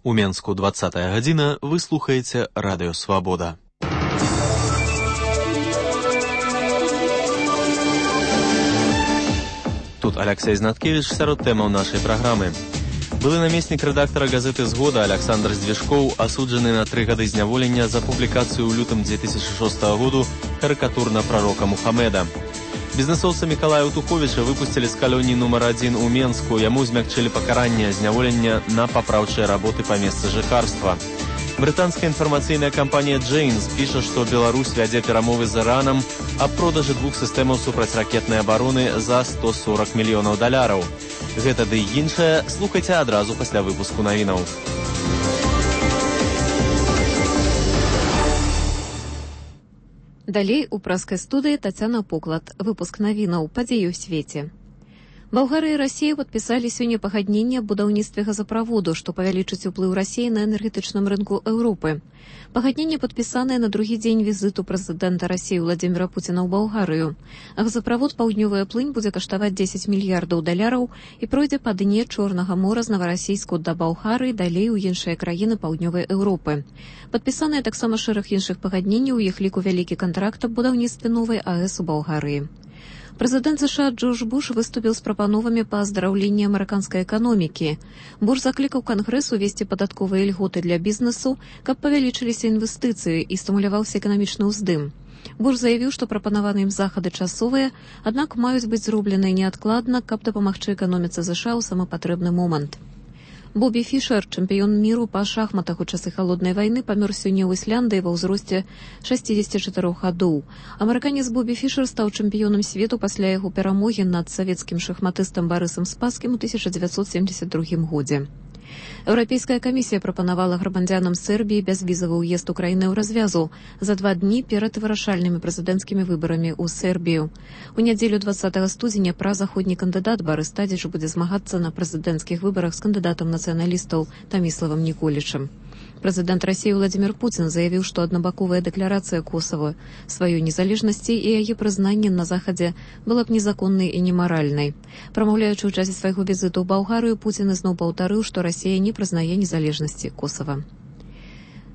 У Менску 20-я гадзіна, вы слухаеце Радыё Свабода. Тут Алексей Знаткевич сярод тэмаў нашай праграмы. Былы намеснік рэдактара газеты «Згода» Александр Здвижкоў асуджаны на 3 гады зняволення за публікацыю ў лютым 2006 году карыкатур на прарока Мухаммеда. Бізнесоўца Мікалая Утуховіча выпусцілі з калоніі нумар 1 у Менску. Яму змякчылі пакаранне зняволення на папраўчыя работы па месцы жыхарства. Брытанская інфармацыйная кампанія «Джейнс» піша, што Беларусь вядзе перамовы з Іранам аб продажы 2 сістэмаў супрацьракетнай абароны за $140 мільёнаў. Гэта ды іншае слухайце адразу пасля выпуску навінаў. Далей у праскай студыі Тацяна Поклад. Выпуск навінаў. Падзеі ў свеце. Балгарыя і Расія падпісалі сёння пагадненне аб будаўніцтве газаправоду, што павялічыць уплыў Расіі на энергетычным рынку Еўропы. Пагадненне падпісанае на другі дзень візіту прэзідэнта Расіі Владзіміра Пуціна ў Балгарыю. Газаправод «Паўднёвая плынь» будзе каштаваць $10 мільярдаў і пройдзе па дне Чорнага мора з Наварасійску да Балгарыі, далей у іншыя краіны паўднёвай Еўропы. Падпісаныя таксама шэраг іншых пагадненняў, у іх ліку вялікі кантракт аб будаўніцтве новай АЭС у Балгарыі. Прэзідэнт США Джордж Буш выступіў з прапановамі па аздараўленні амерыканскай эканомікі. Буш заклікаў Кангрэс увесці падатковыя льготы для бізнесу, каб павялічыліся інвестыцыі і стымуляваўся эканамічны ўздым. Буш заявіў, што прапанаваныя ім захады часовыя, аднак маюць быць зробленыя неадкладна, каб дапамагчы эканоміцы США ў самы патрэбны момант. Бобі Фішер, чэмпіён міру па шахматах у часы халоднай вайны, памёр сёння ў Ісляндыі ва ўзросце 64 гадоў. Амерыканец Бобі Фішер стаў чэмпіёнам свету пасля яго перамогі над савецкім шахматыстам Барысам Спаскім у 1972 годзе. Еўрапейская камісія прапанавала грамадзянам Сербіі бязвізавы ўезд у краіны ў развязу за 2 дні перад вырашальнымі прэзідэнцкімі выбарамі ў Сербію. У нядзелю 20 студзеня празаходні кандыдат Барыс Тадзіч будзе змагацца на прэзідэнцкіх выбарах з кандыдатам нацыяналістаў Таміславам Ніколічам. Прэзідэнт Расіі Владзімір Пуцін заявіў, што аднабаковая дэкларацыя Косава сваёй незалежнасці і яе прызнанне на захадзе была б незаконнай і немаральнай. Прамаўляючы ў часе свайго візіту ў Балгарыю, Пуцін ізноў паўтарыў, што Расія не прызнае незалежнасці Косава.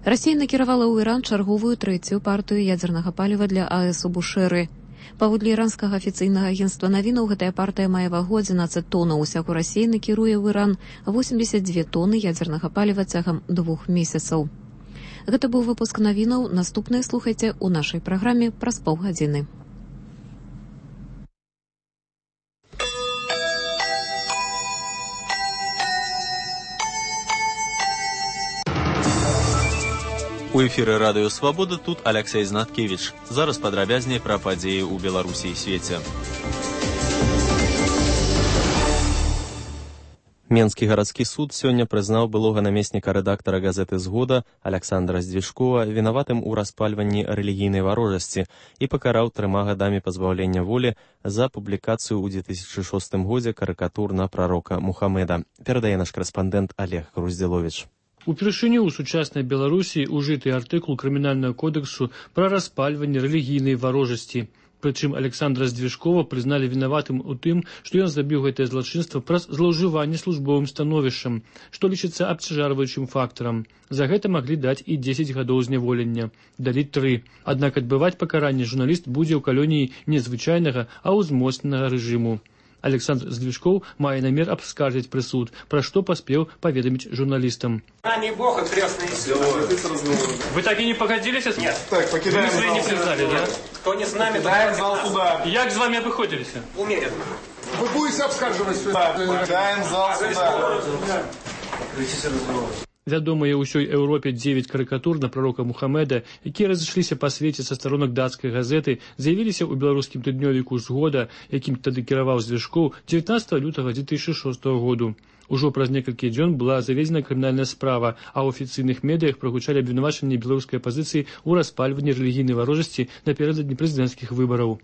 Расія накіравала ў Іран чарговую 3-ю партыю ядзернага паліва для АЭС у Бушэры. Паводле іранскага афіцыйнага агенцтва навінаў, гэтая партыя мае вагу 11 тоннаў. Усяго Расія накіруе ў Іран 82 тоны ядзернага паліва цягам 2 месяцаў. Гэта быў выпуск навінаў. Наступныя слухайце ў нашай праграме праз паўгадзіны. У эфіры Радыё Свабода, тут Алексей Знаткевич. Зараз падрабязней пра падзеі ў Беларусі і свеце. Менскі гарадскі суд сёння прызнаў былога намесніка рэдактара газеты «Згода» Александра Здвижкова вінаватым у распальванні рэлігійнай варожасці і пакараў 3 гадамі пазбаўлення волі за публікацыю ў 2006 годзе карыкатур на прарока Мухаммеда. Перадае наш корэспандэнт Олег Груздзіловіч. Упершыню ў сучаснай Беларусі ужыты артыкул крымінальнага кодексу пра распальванне рэлігійнай варожасці. Прычым Александра Здвижкова прызналі вінаватым у тым, што ён зрабіў гэтае злачынства праз злоўжыванне службовым становішчам, што лічыцца абцяжарваючым фактарам. За гэта маглі даць і 10 гадоў зняволення. Далі 3. Аднак адбываць пакаранне журналіст будзе ў калоніі не звычайнага, а ўзмоцненага рэжыму. Александр Здвижков мае намер абскаржыць прысуд, пра што паспеў паведаміць журналістам. Бог и крестный Вы так и не погодились? Нет. Так, покидаем зал. Вы не признали, да? Кто не с нами, покидаем зал суда. Як з вами обыходились? Умеренно. Вы будете обскарживать суда. Покидаем зал суда. Вядомыя ўсёй Еўропе 9 карыкатур на прарока Мухаммеда, якія разышліся па свеце са старонак дацкай газеты, з'явіліся ў беларускім тыднёвіку «Згода», якім тады кіраваў Здвижков 19 лютага 2006 году. Ужо праз некалькі дзён была заведзена крымінальная справа, а ў афіцыйных медыях прагучалі абвінавачанні беларускай апазіцыі ў распальванні рэлігійнай варожасці напярэдадні прэзідэнцкіх выбараў.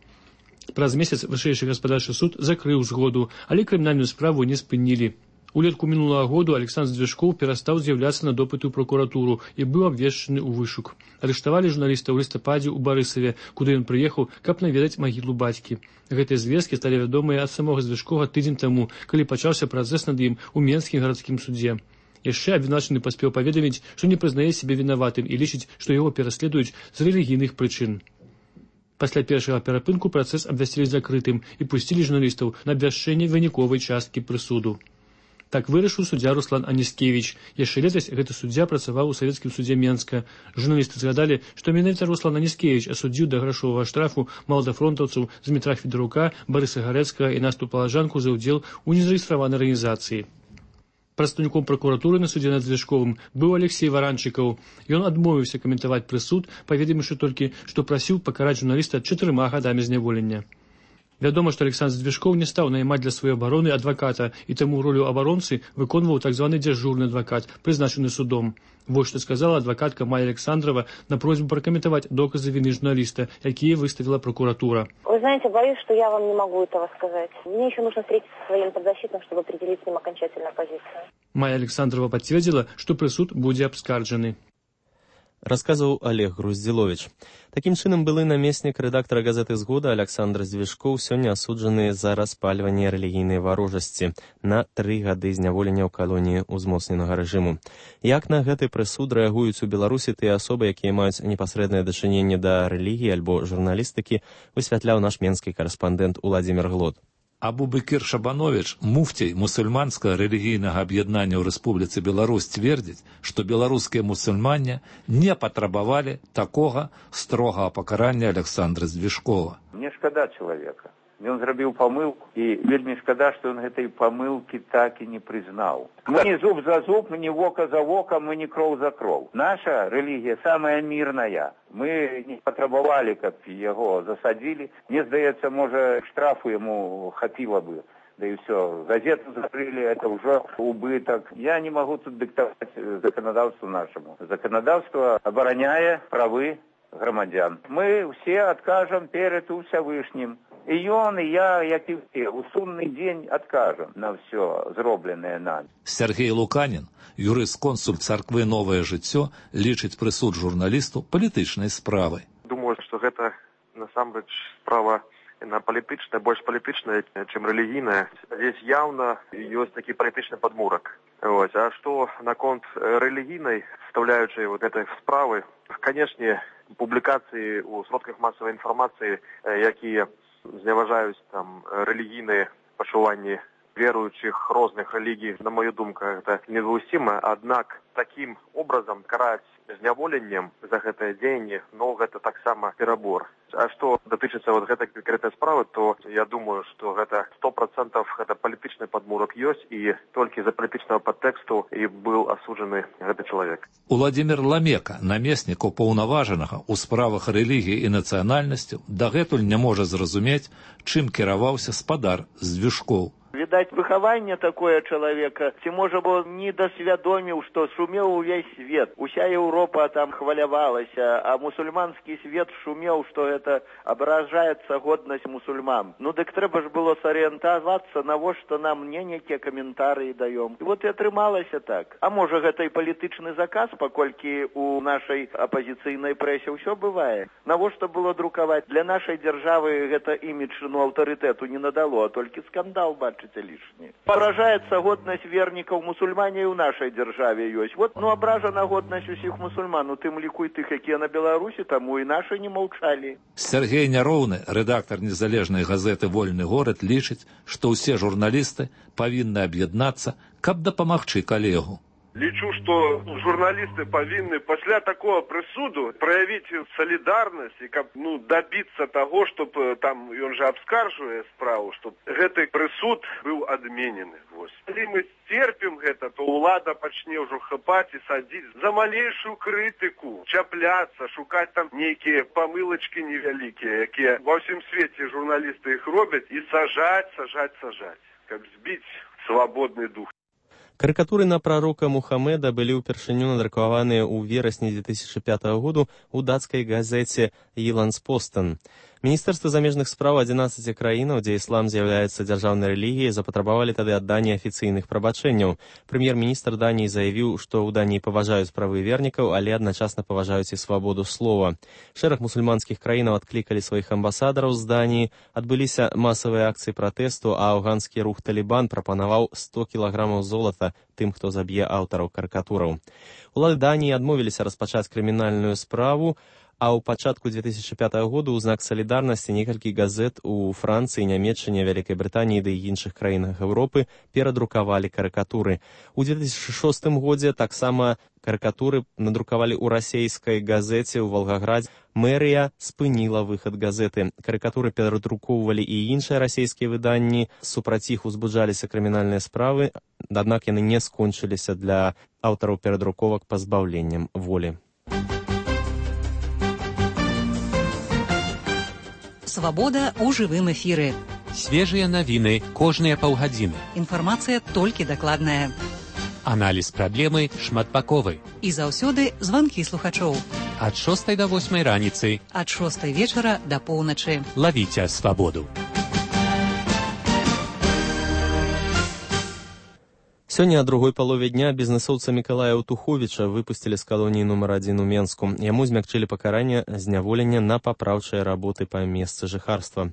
Праз месяц вышэйшы гаспадарчы суд закрыў «Згоду», але крымінальную справу не спынілі. Улетку мінулага году Александр Здвижков перастаў з'яўляцца на допыты ў прокуратуру і быў абвешчаны ў вышук. Арыштавалі журналіста ў лістападзе ў Барысаве, куды ён прыехаў, каб наведаць магілу бацькі. Гэтыя звесткі сталі вядомыя ад самога Здвижкова тыдзень таму, калі пачаўся працэс над ім у Менскім гарадскім судзе. Яшчэ абвінавачаны паспеў паведаміць, што не прызнае сябе вінаватым і лічыць, што яго пераследуюць з рэлігійных прычын. Пасля першага перапынку працэс абвясцілі закрытым і пусцілі журналістаў на абвяшчэнне выніковай часткі прысуду. Так вырашыў суддзя Руслан Аніскевіч. Яшчэ летась гэты суддзя працаваў у савецкім судзе Менска. Журналісты згадалі, што менавіта Руслан Аніскевіч асудзіў да грашовага штрафу маладафронтаўцаў Змітра Федарука, Барыса Гарэцкага і Насту Палажанку за ўдзел у незарэгістраванай арганізацыі. Прадстаўніком пракуратуры на судзе над Звяшковым быў Алексей Варанчыкаў. Ён адмовіўся каментаваць прысуд, паведаміўшы толькі, што прасіў пакараць журналіста 4 гадамі зняволення. Вядома, што Александр Звяшкоў не стаў наймаць для сваёй абароны адваката, і таму ролю абаронцы выконваў так званы дзяжурны адвакат, прызначаны судом. Вось што сказала адвакатка Майя Александрова на просьбу прокомментовать доказы вины журналиста, какие выставила прокуратура. Вы знаете, боюсь, что я вам не могу этого сказать. Мне еще нужно встретиться со своим подзащитным, чтобы определить с ним окончательную позицию. Майя Александрова подтвердила, что прысуд будзе абскарджаны. Расказваў Олег Груздзіловіч. Такім чынам, былы намеснік рэдактара газеты «Згода» Александр Звяшкоў сёння асуджаны за распальванне рэлігійнай варожасці на 3 гады зняволення ў калоніі ўзмоцненага рэжыму. Як на гэты прысуд рэагуюць у Беларусі тыя асобы, якія маюць непасрэднае дачыненне да рэлігіі альбо журналістыкі, высвятляў наш менскі карэспандэнт Уладзімір Глод. Абу-Бекір Шабанович, муфцей мусульманскага рэлігійнага аб'яднання ў Рэспубліцы Беларусь, твердзіць, што беларускія мусульмане не патрабавалі такога строгага пакарання Александра Звяшкова. Мне шкада чалавека. Ён зрабіў памылку, і вельмі шкада, што ён гэтай памылкі так і не прызнаў. Мы не зуб за зуб, мы не вока за вока, мы не кроў за кроў. Наша рэлігія самая мірная. Мы не патрабавалі, каб яго засадзілі. Мне здаецца, можа, штрафу яму хапіла бы. Да і ўсё. Газету закрылі, это ўжо убытак. Я не магу тут дыктаваць заканадаўству нашаму. Заканадаўства абараняе правы грамадзян. Мы ўсе адкажам перад Усявышнім. І ён, і я, як і ўсе, у сумны дзень адкажам на ўсё зробленае нами. Сергей Луканін, юрыст-консуль царквы «Новае жыццё», лічыць прысуд журналісту палітычнай справай. Думаю, што гэта насамрэч справа палітычная, больш палітычная, чым рэлігійная. Здесь явно ёсць такі палітычны падмурак. А што наконт рэлігійнай, вставляючай вот этой справы, канешне, публікацыі ў сродках масавай інфармацыі, якія зневажаюць там рэлігійныя пачуванні веруючых розных рэлігій, на мою думку, это недопустимо. Аднак таким образом караць зняволеннем за гэтае дзеянне, но гэта таксама перабор. А што датычыцца вот гэтай канкрэтнай справы, то я думаю, што гэта 100% гэта палітычны падмурак ёсць, і толькі за палітычнага падтэксту і быў асуджаны гэты чалавек. Уладзімір Ламека, намеснік упаўнаважанага ў справах рэлігіі і нацыянальнасцяў, дагэтуль не можа зразумець, чым кіраваўся спадар Звяшкоў. Відаць, выхаванне такое чалавека, ці можа бо не дасвядоміў, што шумеў увесь свет. Уся Еўропа там хвалявалася, а мусульманскі свет шумеў, што гэта абражаецца годнасць мусульман. Ну дык трэба ж было сарыентавацца, навошта нам нейкія каментарыі даём. І вот і атрымалася так. А можа гэта і палітычны заказ, паколькі у нашай апазіцыйнай прэсе ўсё бывае. Навошта было друкаваць? Для нашай дзяржавы гэта імідж, аўтарытэту не надало, а толькі скандал бачыць. Лишнее. Поражается годность верников мусульмане и в нашей державе есть. Вот, ображена годность усіх мусульман, тым ліку і тых, якія на Беларусі, таму і наши не маўчалі. Сергей Няроўны, рэдактар незалежнай газеты «Вольны горад», лічыць, што ўсе журналісты павінны аб'яднацца, каб дапамагчы калегу. Лічу, што журналісты павінны пасля такого прысуду праявіць салідарнасць і каб дабіцца таго, чтоб там ён жа абскаржвае справу, чтоб гэты прысуд быў адменены. Калі мы сцерпім гэта, то ўлада пачне ўжо хапаць і садзіць за малейшую крытыку, чапляцца, шукаць там нейкія памылачкі невялікія, якія ва ўсім свеце журналісты іх робяць, і сажаць, каб збіць свабодны дух. Карыкатуры на прарока Мухаммеда былі ўпершыню надрукаваныя ў верасні 2005 году ў дацкай газеце «Йyllands-Posten». Міністэрствы замежных спраў 11 краінаў, дзе іслам з'яўляецца дзяржаўнай рэлігіяй, запатрабавалі тады адданне афіцыйных прабачэнняў. Прэм'ер-міністр Даніі заявіў, што ў Даніі паважаюць правы вернікаў, але адначасна паважаюць і свабоду слова. Шэраг мусульманскіх краінаў адклікалі сваіх амбасадараў з Даніі, адбыліся масавыя акцыі пратэсту, а афганскі рух «Талібан» прапанаваў 100 кілаграмаў золата тым, хто заб'е аўтараў карыкатураў. Улады Даніі адмовіліся распачаць крымінальную справу, а ў пачатку 2005 году ў знак салідарнасці некалькі газет у Францыі, Нямецчыне, Вялікай Брытаніі ды іншых краінах Еўропы перадрукавалі карыкатуры. У 2006 годзе таксама карыкатуры надрукавалі ў расейскай газеце ў Волгаградзе. Мэрыя спыніла выхад газеты. Карыкатуры перадрукоўвалі і іншыя расейскія выданні. Супраць іх узбуджаліся крымінальныя справы, аднак яны не скончыліся для аўтараў перадруковак пазбаўленнем волі. Свабода ў жывым эфіры. Свежыя навіны кожныя паўгадзіны. Інфармацыя толькі дакладная. Аналіз праблемы шматбаковы. І заўсёды званкі слухачоў. Ад 6 до 8 раніцы. Ад 6 вечара да поўначы. Лавіце свабоду. Сёння о другой палове дня бізнесоўца Мікалая Утуховіча выпусцілі з калоніі нумар 1 у Менску. Яму змякчылі пакаранне зняволення на папраўчыя работы па месцы жыхарства.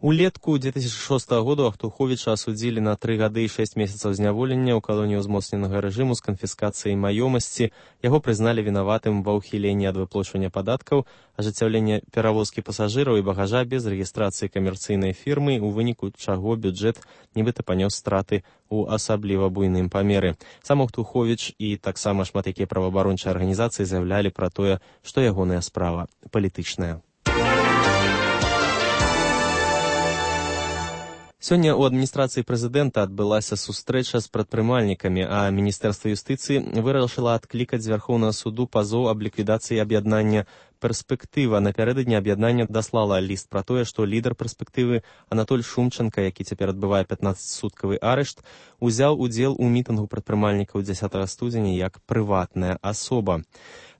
Улетку 2006 году Утуховіча асудзілі на 3 гады і 6 месяцаў зняволення ў калоніі ўзмоцненага рэжыму з канфіскацыяй маёмасці. Яго прызналі вінаватым ва ўхіленні ад выплачвання падаткаў, ажыццяўлення перавозкі пасажыраў і багажа без рэгістрацыі камерцыйнай фірмы, у выніку чаго бюджэт нібыта панёс страты у асабліва буйным памеры. Сам Утуховіч і таксама шмат якія праваабарончыя арганізацыі заявлялі пра тое, што ягоная справа палітычная. Сёння ў адміністрацыі прэзідэнта адбылася сустрэча з прадпрымальнікамі, а Міністэрства юстыцыі вырашыла адклікаць з Вярхоўнага суду пазоў аб ліквідацыі аб'яднання «Перспектыва». Напярэдадні аб'яднання даслала ліст пра тое, што лідар «Перспектывы» Анатоль Шумченка, які цяпер адбывае 15-суткавы арышт, узяў удзел у мітынгу прадпрымальнікаў 10 студзеня як прыватная асоба.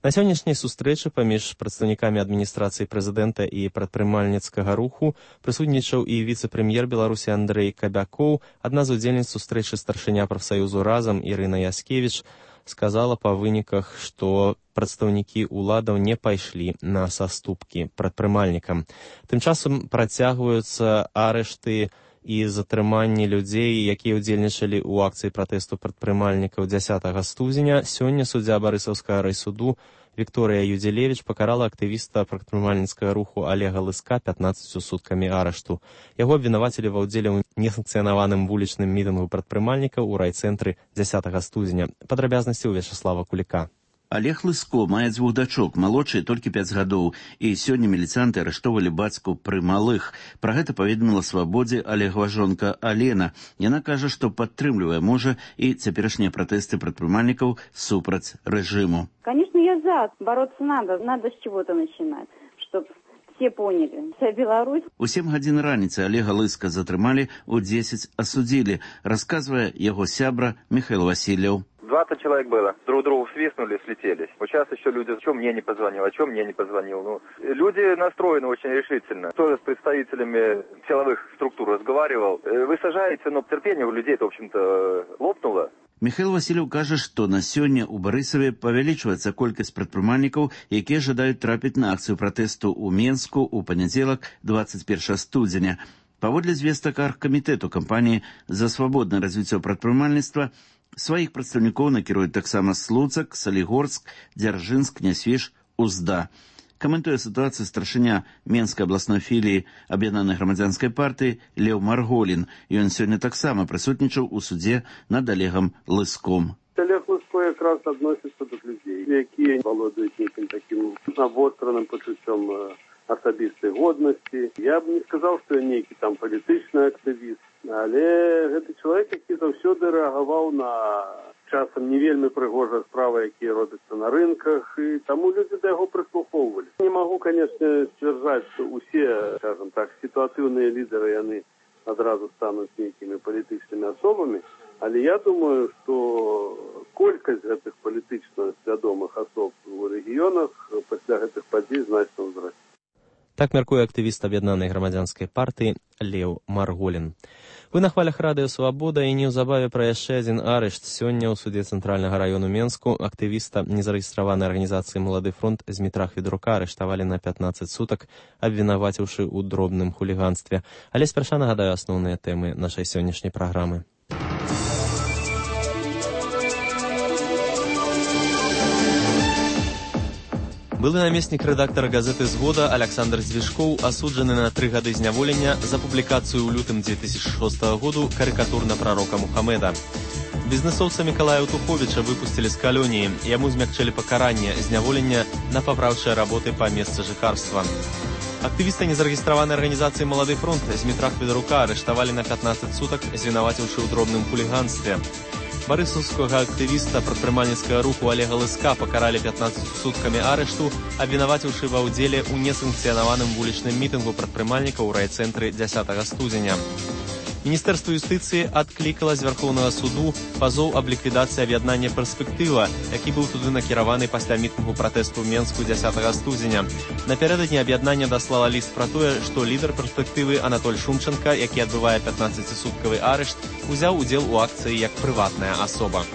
На сённяшняй сустрэчы паміж прадстаўнікамі адміністрацыі прэзідэнта і прадпрымальніцкага руху прысутнічаў і віцэ-прэм'ер Беларусі Андрэй Кабякоў. Адна з удзельніц сустрэчы старшыня прафсаюзу «Разам» Ірына Яскевіч сказала па выніках, што прадстаўнікі ўладаў не пайшлі на саступкі прадпрымальнікам. Тым часам працягваюцца арышты і затрыманні людзей, якія ўдзельнічалі ў акцыі пратэсту прадпрымальнікаў 10 студзеня. Сёння суддзя Барысаўскага райсуду Вікторыя Юдзелевіч пакарала актывіста прадпрымальніцкага руху Олега Лыска 15 суткамі арышту. Яго абвінавацілі ва ўдзеле ў несанкцыянаваным вулічным мітынгу прадпрымальнікаў у райцэнтры 10 студзеня. Падрабязнасці ў Вячаслава Куліка. Олег Лыско мае 2 дачок, малодшай толькі 5 гадоў, і сёння міліцыянты арыштоўвалі бацьку пры малых. Пра гэта паведаміла «Свабодзе» Олегова жонка Алена. Яна кажа, што падтрымлівае мужа і цяперашнія пратэсты прадпрымальнікаў супраць рэжыму. Конечно, я за. Бороться надо с чего-то начинать, чтобы все поняли. Вся Беларусь. У 7 гадзін раніцы Олега Лыска затрымалі, у 10 асудзілі, расказвае яго сябра Михаил Васильев. 20 человек было. Друг другу свистнули, слетелись. Вот сейчас еще люди, что мне не позвонил, Ну, люди настроены очень решительно. Тоже с представителями силовых структур разговаривал. Вы сажаете, но терпение у людей, в общем-то, лопнуло. Михаил Васильев кажа, што на сёння ў Барысаве павялічваецца колькасць прадпрымальнікаў, якія жадаюць трапіць на акцыю пратэсту ў Менску ў панядзелак 21 студзеня. Паводле звестак аргкамітэту кампаніі «За свабоднае развіццё прадпрымальніцтва» сваіх прадстаўнікоў накіруюць таксама Слуцак, Салігорск, Дзяржынск, Нясвіж, Узда. Каментуе сітуацыю старшыня Менскай абласной філіі Аб'яднанай грамадзянскай партыі Леў Марголін. Ён сёння таксама прысутнічаў у судзе над Олегом Лыском. Олег Лыско якраз адносіцца да людзей, якія валодаюць нейкім такім абостраным пачуццём асабістай годнасці. Я б не сказаў, што я нейкі там палітычны актывіст. Але гэты чалавек, які заўсёды рэагаваў на часам не вельмі прыгожыя справы, якія робяцца на рынках, і таму людзі да яго прыслухоўвалі. Не магу, канешне, сцвярджаць, што усе, скажам так, сітуатыўныя лідары, яны адразу стануць нейкімі палітычнымі асобамі, але я думаю, што колькасць гэтых палітычна свядомых асоб у рэгіёнах пасля гэтых падзей значна ўзрасце. Так мяркуе актывіст аб'яднанай грамадзянскай партыі Леў Марголін. Вы на хвалях радыё «Свабода» і неўзабаве пра яшчэ адзін арышт. Сёння ў суде Цэнтральнага раёну Менску актывіста незарэгістраванай арганізацыі «Малады фронт» Змітра Хведрука арыштавалі на 15 сутак, абвінаваціўшы ў дробным хуліганстве. Але спярша нагадаю асноўныя тэмы нашай сённяшняй праграмы. Былы намеснік рэдактара газеты «Згода» Александр Звешкоў асуджаны на 3 гады зняволення за публікацыю ў лютым 2006 году карыкатур на прарока Мухаммеда. Бізнесоўца Мікалая Туховіча выпусцілі з калоніі. Яму змякчылі пакаранне зняволення на папраўчыя работы па месцы жыхарства. Актывіста незарэгістраванай арганізацыі «Малады фронт» Змітра Хведрука арыштавалі на 15 сутак, звінаваціўшы ў дробным хуліганстве. Барысаўскага актывіста прадпрымальніцкага руху Олега Лыска пакаралі 15 суткамі арышту, абвінаваціўшы ва ўдзеле ў несанкцыянаваным вулічным мітынгу прадпрымальнікаў у райцэнтры 10 студзеня. Міністэрства юстыцыі адклікала з Вярхоўнага суду пазоў аб ліквідацыі аб'яднання «Перспектыва», які быў туды накіраваны пасля мітынгу пратэсту ў Менску 10 студзеня. Напярэдадні аб'яднання даслала ліст пра тое, што лідар «Перспектывы» Анатоль Шумченка, які адбывае 15-суткавы арышт, узяў удзел у акцыі як прыватная асоба.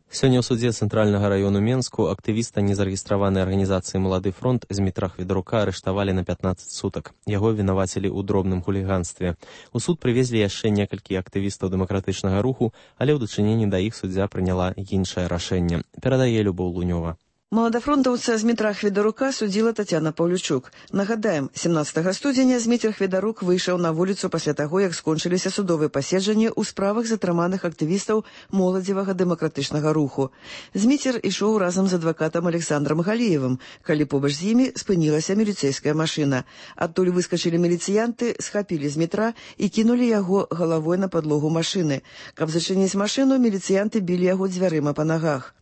Сёння ў судзе Цэнтральнага раёну Менску актывіста незарэгістраванай арганізацыі «Малады фронт» Змітра Хведрука арыштавалі на 15 сутак. Яго вінавацілі ў дробным хуліганстве. У суд прывезлі яшчэ некалькі актывістаў дэмакратычнага руху, але ў дачыненні да іх суддзя прыняла іншае рашэнне. Перадае Любоў Лунёва. Маладафронтаўца Змітра Хведарука судзіла Тацяна Паўлючук. Нагадаем, 17 студзеня Змітр Хведарук выйшаў на вуліцу пасля таго, як скончыліся судовыя паседжанні ў справах затрыманых актывістаў моладзевага дэмакратычнага руху. Зміцер ішоў разам з адвакатам Александрам Галіевым, калі побач з імі спынілася міліцэйская машына. Адтуль выскачылі міліцыянты, схапілі Змітра і кінулі яго галавой на падлогу машыны. Каб зачыніць машыну, міліцыянты білі яго дзвярыма па нагах.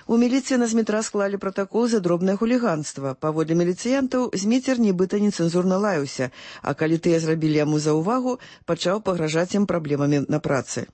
У міліцыі на Змітра склалі пратакол за дробнае хуліганства. Паводле міліцыянтаў, Зміцер нібыта нецэнзурна лаяўся, а калі тыя зрабілі яму заўвагу, пачаў пагражаць ім праблемамі на працы.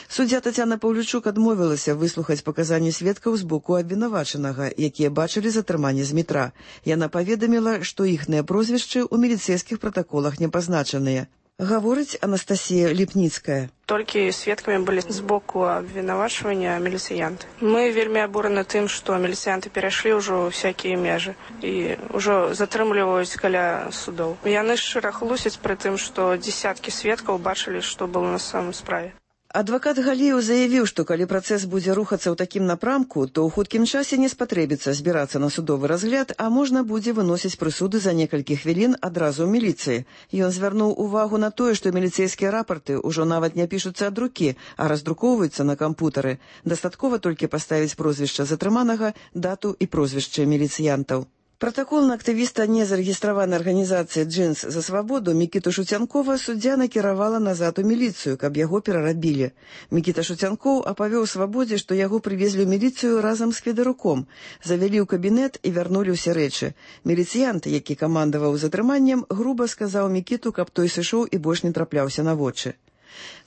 Суддзя Тацяна Паўлючук адмовілася выслухаць паказанні сведкаў з боку абвінавачанага, якія бачылі затрыманне Змітра. Яна паведаміла, што іхныя прозвішчы ў міліцэйскіх пратаколах не пазначаныя. Гаворыць Анастасія Ліпніцкая. Толькі сведкамі былі з боку абвінавачвання міліцыянты. Мы вельмі абураны тым, што міліцыянты перайшлі ўжо всякія межы і ўжо затрымліваюць каля судоў. Яны шчыра хлусяць пры тым, што дзесяткі сведкаў бачылі, што было на самой справе. Адвакат Галіеў заявіў, што калі працэс будзе рухацца ў такім напрамку, то ў хуткім часе не спатрэбіцца збірацца на судовы разгляд, а можна будзе выносіць прысуды за некалькі хвілін адразу ў міліцыі. Ён звярнуў увагу на тое, што міліцэйскія рапарты ўжо нават не пішуцца ад рукі, а раздрукоўваюцца на кампутары. Дастаткова толькі паставіць прозвішча затрыманага, дату і прозвішча міліцыянтаў. Пратакол на актывіста незарэгістраванай арганізацыі «Джинс за свабоду» Мікіту Шуцянкова суддзя накіравала назад у міліцыю, каб яго перарабілі. Мікіта Шуцянкоў апавёў свабодзе, што яго прывезлі ў міліцыю разам з Хведаруком, завялі ў кабінет і вярнулі ўсе рэчы. Міліцыянт, які камандаваў затрыманнем, груба сказаў Мікіту, каб той сышоў і больш не трапляўся на вочы.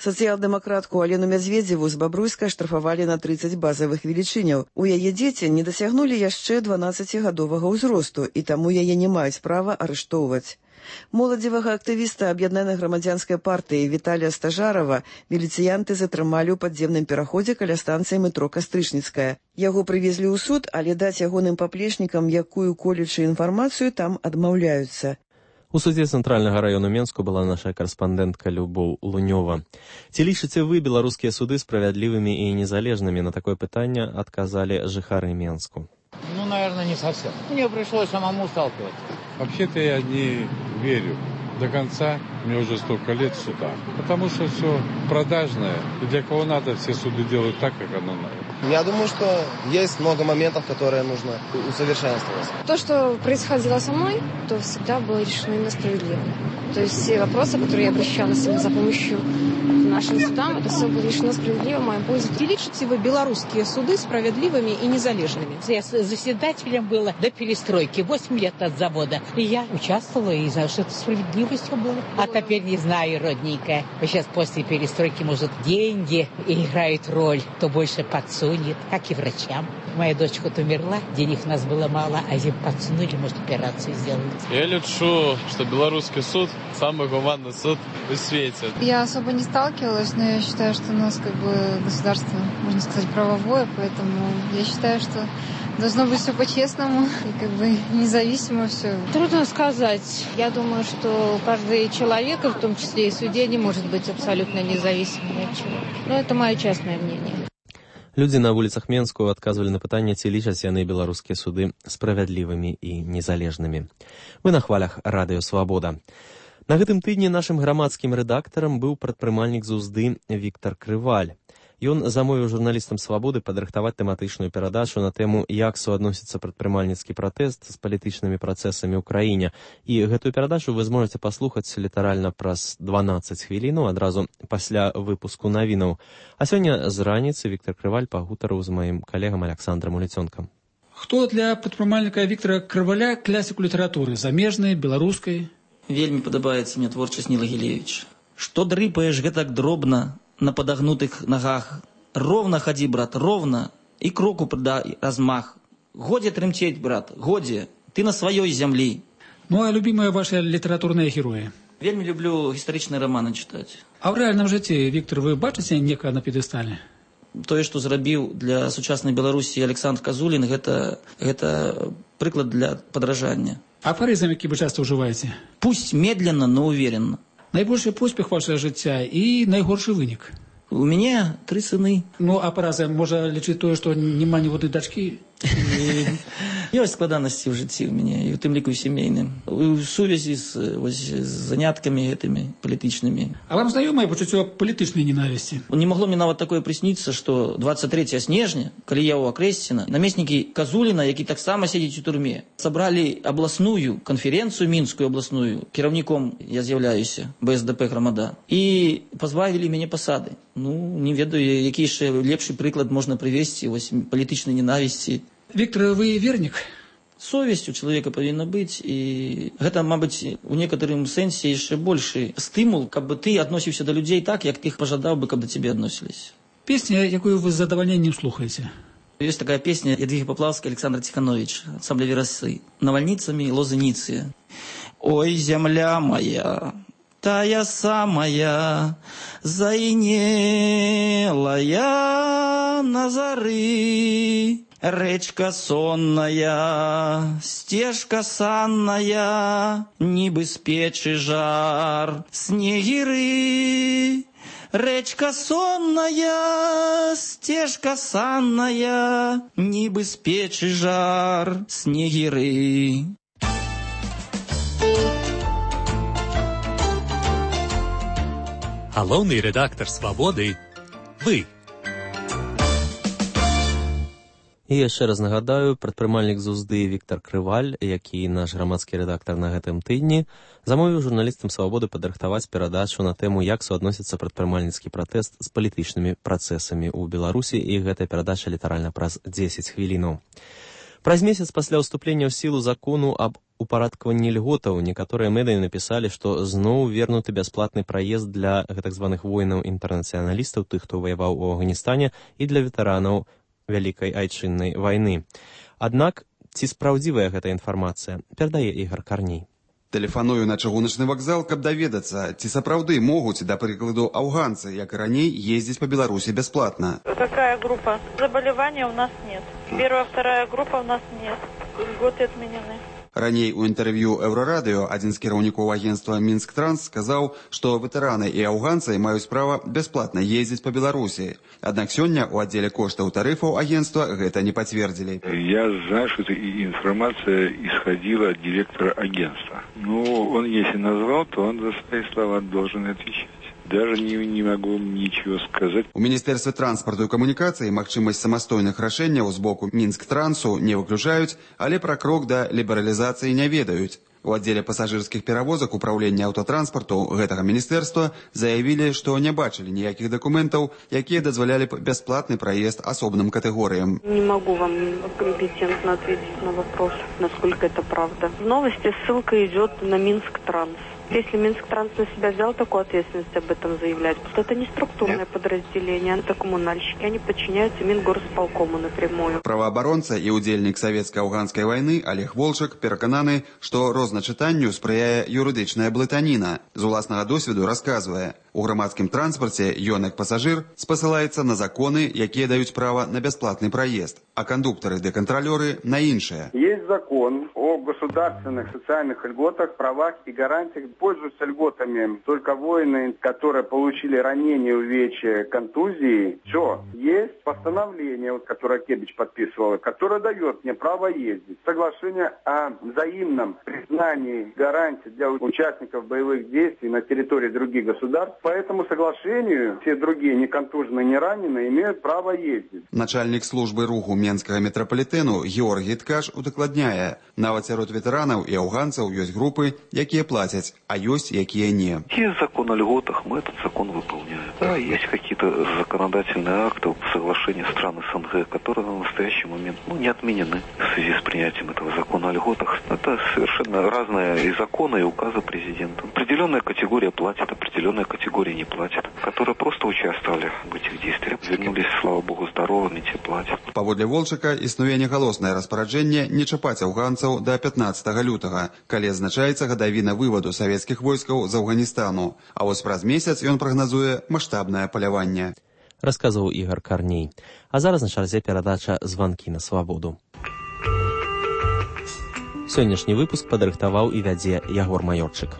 Сацыял-дэмакратку Алену Мядзведзеву з Бабруйска штрафавалі на 30 базавых велічыняў. У яе дзеці не дасягнулі яшчэ 12гадовага ўзросту, і таму яе не маюць права арыштоўваць. Моладзевага актывіста аб'яднанай грамадзянскай партыі Віталія Стажарова міліцыянты затрымалі ў падземным пераходзе каля станцыі метро Кастрычніцкая. Яго прывезлі ў суд, але даць ягоным паплечнікам якую-колечую інфармацыю там адмаўляюцца. У судзе Цэнтральнага раёну Менску была наша карэспандэнтка Любоў Лунёва. Ці лічыце вы беларускія суды справядлівымі і незалежнымі? На такое пытанне адказалі жыхары Менску. Ну, наверное, не совсем. Мне пришлось самому сталкиваться. Вообще-то я не верю до конца. Мне уже столько лет суда. Потому что все продажное. И для кого надо, все суды делают так, как оно надо. Я думаю, что есть много моментов, которые нужно усовершенствовать. То, что происходило со мной, то всегда было решено именно справедливо. То есть все вопросы, которые я обращалась за помощью к нашим судам, это все было решено справедливо в моем пользу. Ці лічыце вы беларускія суды справедливыми и незалежными? Я заседателем была до перестройки, 8 лет от завода. И я участвовала и за что это справедливо. красиво все было. А теперь не знаю, родненькая. Сейчас после перестройки, может, деньги играют роль. Кто больше подсунет, как и врачам. Моя дочь хоть умерла, денег у нас было мало, а им подсунули, может, операцию сделать. Я лечу, что белорусский суд самый гуманный суд в свете. Я особо не сталкивалась, но я считаю, что у нас как бы государство, можно сказать, правовое, поэтому я считаю, что должно быть все по-честному и как бы независимо все. Трудно сказать. Я думаю, что каждый человек, и в том числе и судья, не может быть абсолютно независимым от чего. Но это мое частное мнение. Людзі на вуліцах Менску адказвалі на пытанне, ці лічаць яны беларускія суды справядлівымі і незалежнымі. Вы на хвалях радыё «Свабода». На гэтым тыдні нашым грамадскім рэдактарам быў прадпрымальнік з Узды Віктор Крываль. Ён замовіў журналістам «Свабоды» падрыхтаваць тэматычную перадачу на тэму, як суадносіцца прадпрымальніцкі пратэст з палітычнымі працэсамі ў краіне. І гэтую перадачу вы зможаце паслухаць літаральна праз 12 хвілінаў адразу пасля выпуску навінаў. А сёння з раніцы Віктор Крываль пагутарыў з маім калегам Александром Уліцёнкам. Хто для прадпрымальніка Віктора Крываля класіку літаратуры, замежнай, беларускай? Вельмі падабаецца мне творчасць Ніла Гілевіча. Што дрыпаеш гэтак дробна на подогнутых ногах. Ровно ходи, брат, ровно. И кроку придай размах. Годи тремтеть, брат, годи. Ты на своей земле. Ну, а любимые ваши литературные герои? Вельмі люблю историчные романы читать. А в реальном житті, Віктор, вы бачите некага на п'єдесталі? Тое, што зрабіў для сучаснай Беларусі Александр Казулін, гэта прыклад для подражання. Афоризм, які вы часто ўжываеце? Пусть медленно, но уверенно. Найбольшы поспех вашего жыцця і найгоршы вынік? У меня 3 сыны. Ну, а параза можа лічыць тое, што няма ніводнай дачкі? Ёсць складанасці ў жыцці ў мяне, і ў тым ліку сямейным. У сувязі з заняткамі гэтымі палітычнымі. А вам знаёмае пачуццё палітычнай ненавісці? Не магло мне нават такое прысніцца, што 23 снежня, калі я ў Акрэсціна, намеснікі Казуліна, які таксама сядзіць у турме, сабралі абласную канферэнцыю, мінскую абласную, кіраўніком я з'яўляюся, БСДП Грамада, і пазбавілі мяне пасады. Ну, не ведаю, які яшчэ лепшы прыклад можна прывесці вось палітычнай ненавісці. Віктор, вы вернік? Совесть у человека повинна быть, и это, мабуть, у некоторым сенсе еще больше стимул, как бы ты относишься до людей так, як ты их пожадал бы, когда тебе относились. Песня, якую вы с задовольнением слухаете? Есть такая песня Ядвиги Поплавской, Александр Тиханович, ансамбля «Веросы», «Навальницами лозеницы». Ой, земля моя, тая самая, заинелая на зары, речка сонная, стежка санная, нібы з печы жар, снегиры. Речка сонная, стежка санная, нібы з печы жар, снегиры. Галоўны рэдактар «Свабоды» – вы. І яшчэ раз нагадаю, прадпрымальнік з Узды Віктор Крываль, які наш грамадскі рэдактар на гэтым тыдні, замовіў журналістам «Свабоды» падрыхтаваць перадачу на тэму, як суадносіцца прадпрымальніцкі пратэст з палітычнымі працэсамі ў Беларусі, і гэтая перадача літаральна праз 10 хвілінаў. Праз месяц пасля ўступлення ў сілу закону аб упарадкаванні льготаў некаторыя медыі напісалі, што зноў вернуты бясплатны праезд для гэтак званых воінаў-інтэрнацыяналістаў, тых, хто ваяваў у Афганістане, і для ветэранаў Вялікай айчыннай вайны. Аднак, ці спраўдзівая гэта інфармацыя, перадае Ігор Карней. Тэлефаную на чыгуначны вакзал, каб даведацца, ці сапраўды могуць, да прыкладу, афганцы, як і раней, ездзіць па Беларусі бясплатна. Какая группа? Заболевания у нас нет. Первая, вторая группа у нас нет. Льготы отменены. Раней у інтэрв'ю Еўрарадыё адзін з кіраўнікоў агенцтва «Мінск-Транс» сказаў, што ветэраны і афганцы маюць права бясплатна ездзіць па Беларусі. Аднак сёння ў аддзеле коштаў тарыфаў агентства гэта не пацвердзілі. Я знаю, что эта информация исходила от директора агентства. Но он, если назвал, то он за свои слова должен отвечать. Даже не могу ничего сказать. У Міністэрстве транспарту і камунікацыі магчымасць самастойных рашэнняў з боку Мінск-Трансу не выключаюць, але пра крок да лібералізацыі не ведаюць. У аддзеле пасажырскіх перавозак управлення аўтатранспарту гэтага міністэрства заявілі, што не бачылі ніякіх дакументаў, якія дазвалялі б бясплатны праезд асобным катэгорыям. Не могу вам компетентно ответить на вопрос, насколько это правда. В новости ссылка идет на Минск-Транс. Если Минск-Транс на себя взял такую ответственность об этом заявлять, то это не структурное подразделение, это коммунальщики, они подчиняются Мингорисполкому напрямую. Праваабаронца і ўдзельнік савецка-афганскай вайны Олег Волчак перакананы, што розначытанню спрыяе юрыдычная блытаніна. З уласнага досведу расказвае, у грамадскім транспарце ён як пасажыр спасылаецца на законы, якія даюць права на бясплатны праезд, а кондуктары-деконтролёры на іншае. Есть закон о государственных социальных льготах, правах и гарантиях. Пользуются льготами только воины, которые получили ранения, увечья, контузии. Все. Есть постановление, которое Кебич подписывал, которое дает мне право ездить. Соглашение о взаимном признании гарантий для участников боевых действий на территории других государств. По этому соглашению все другие неконтуженные, не раненые имеют право ездить. Начальник службы руху Менскага метрапалітэну Георгій Ткач удакладняе, нават сярод ветэранаў і афганцаў ёсць групы, якія плацяць, а есть якие не. Есть закон о льготах, мы этот закон выполняем. Да, есть какие-то законодательные акты, соглашения стран СНГ, которые на настоящий момент не отменены в связи с принятием этого закона о льготах. Это совершенно разные и законы, и указы президента. Определенная категория платит, определенная категория не платит, которые просто участвовали в этих действиях. Вернулись, слава богу, здоровыми, те платят. Паводле Волчака існуе нягалоснае распараджэнне не чапаць афганцаў до 15 лютага, калі адзначаецца гадавіна выводу савецкіх войскаў з Афганістану. А вось праз месяц ён прагназуе маштабнае паляванне. Расказваў Ігор Карней. А зараз на чарзе перадача «Званкі на свабоду». Сённяшні выпуск падрыхтаваў і вядзе Ягор Маёрчык.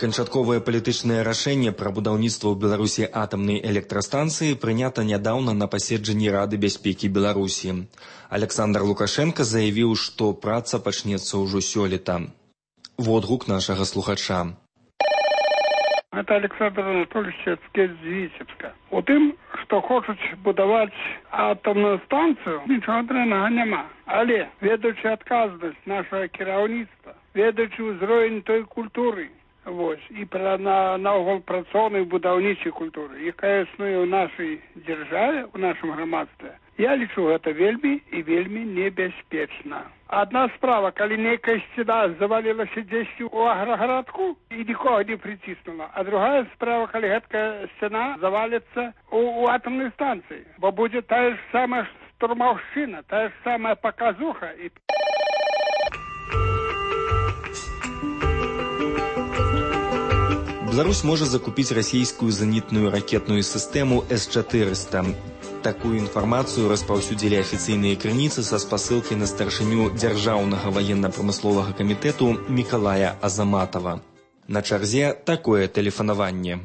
Канчатковае палітычнае рашэнне пра будаўніцтва ў Беларусі атамнай электрастанцыі прынята нядаўна на паседжанні Рады бяспекі Беларусі. Александр Лукашенко заявіў, што праца пачнецца ўжо сёлета. Водгук нашага слухача. Это Александр Анатольевич з Віцебска. У тым, што хочуць будаваць атомную станцыю, нічога дрэннага няма. Але, ведаючы адказнасць нашага кіраўніцтва, ведаючы ўзровень той культуры, і наогул працоўнай будаўнічай культуры, якая існуе ў нашай дзяржаве, у нашым грамадстве, я лічу гэта вельмі і вельмі небяспечна. Адна справа, калі нейкая сцена завалілася дзесьці ў аграгарадку і нікога не прыціснула, а другая справа, калі гэтая сцена заваліцца у атомнай станцыі, бо будзе тая ж самая штурмаўшчына, тая ж самая паказуха. Беларусь можа закупіць расійскую зенітную ракетную сістэму С-400. Такую інфармацыю распаўсюдзілі афіцыйныя крыніцы са спасылкі на старшыню Дзяржаўнага ваенна-прамысловага камітэту Мікалая Азаматова. На чарзе такое тэлефанаванне.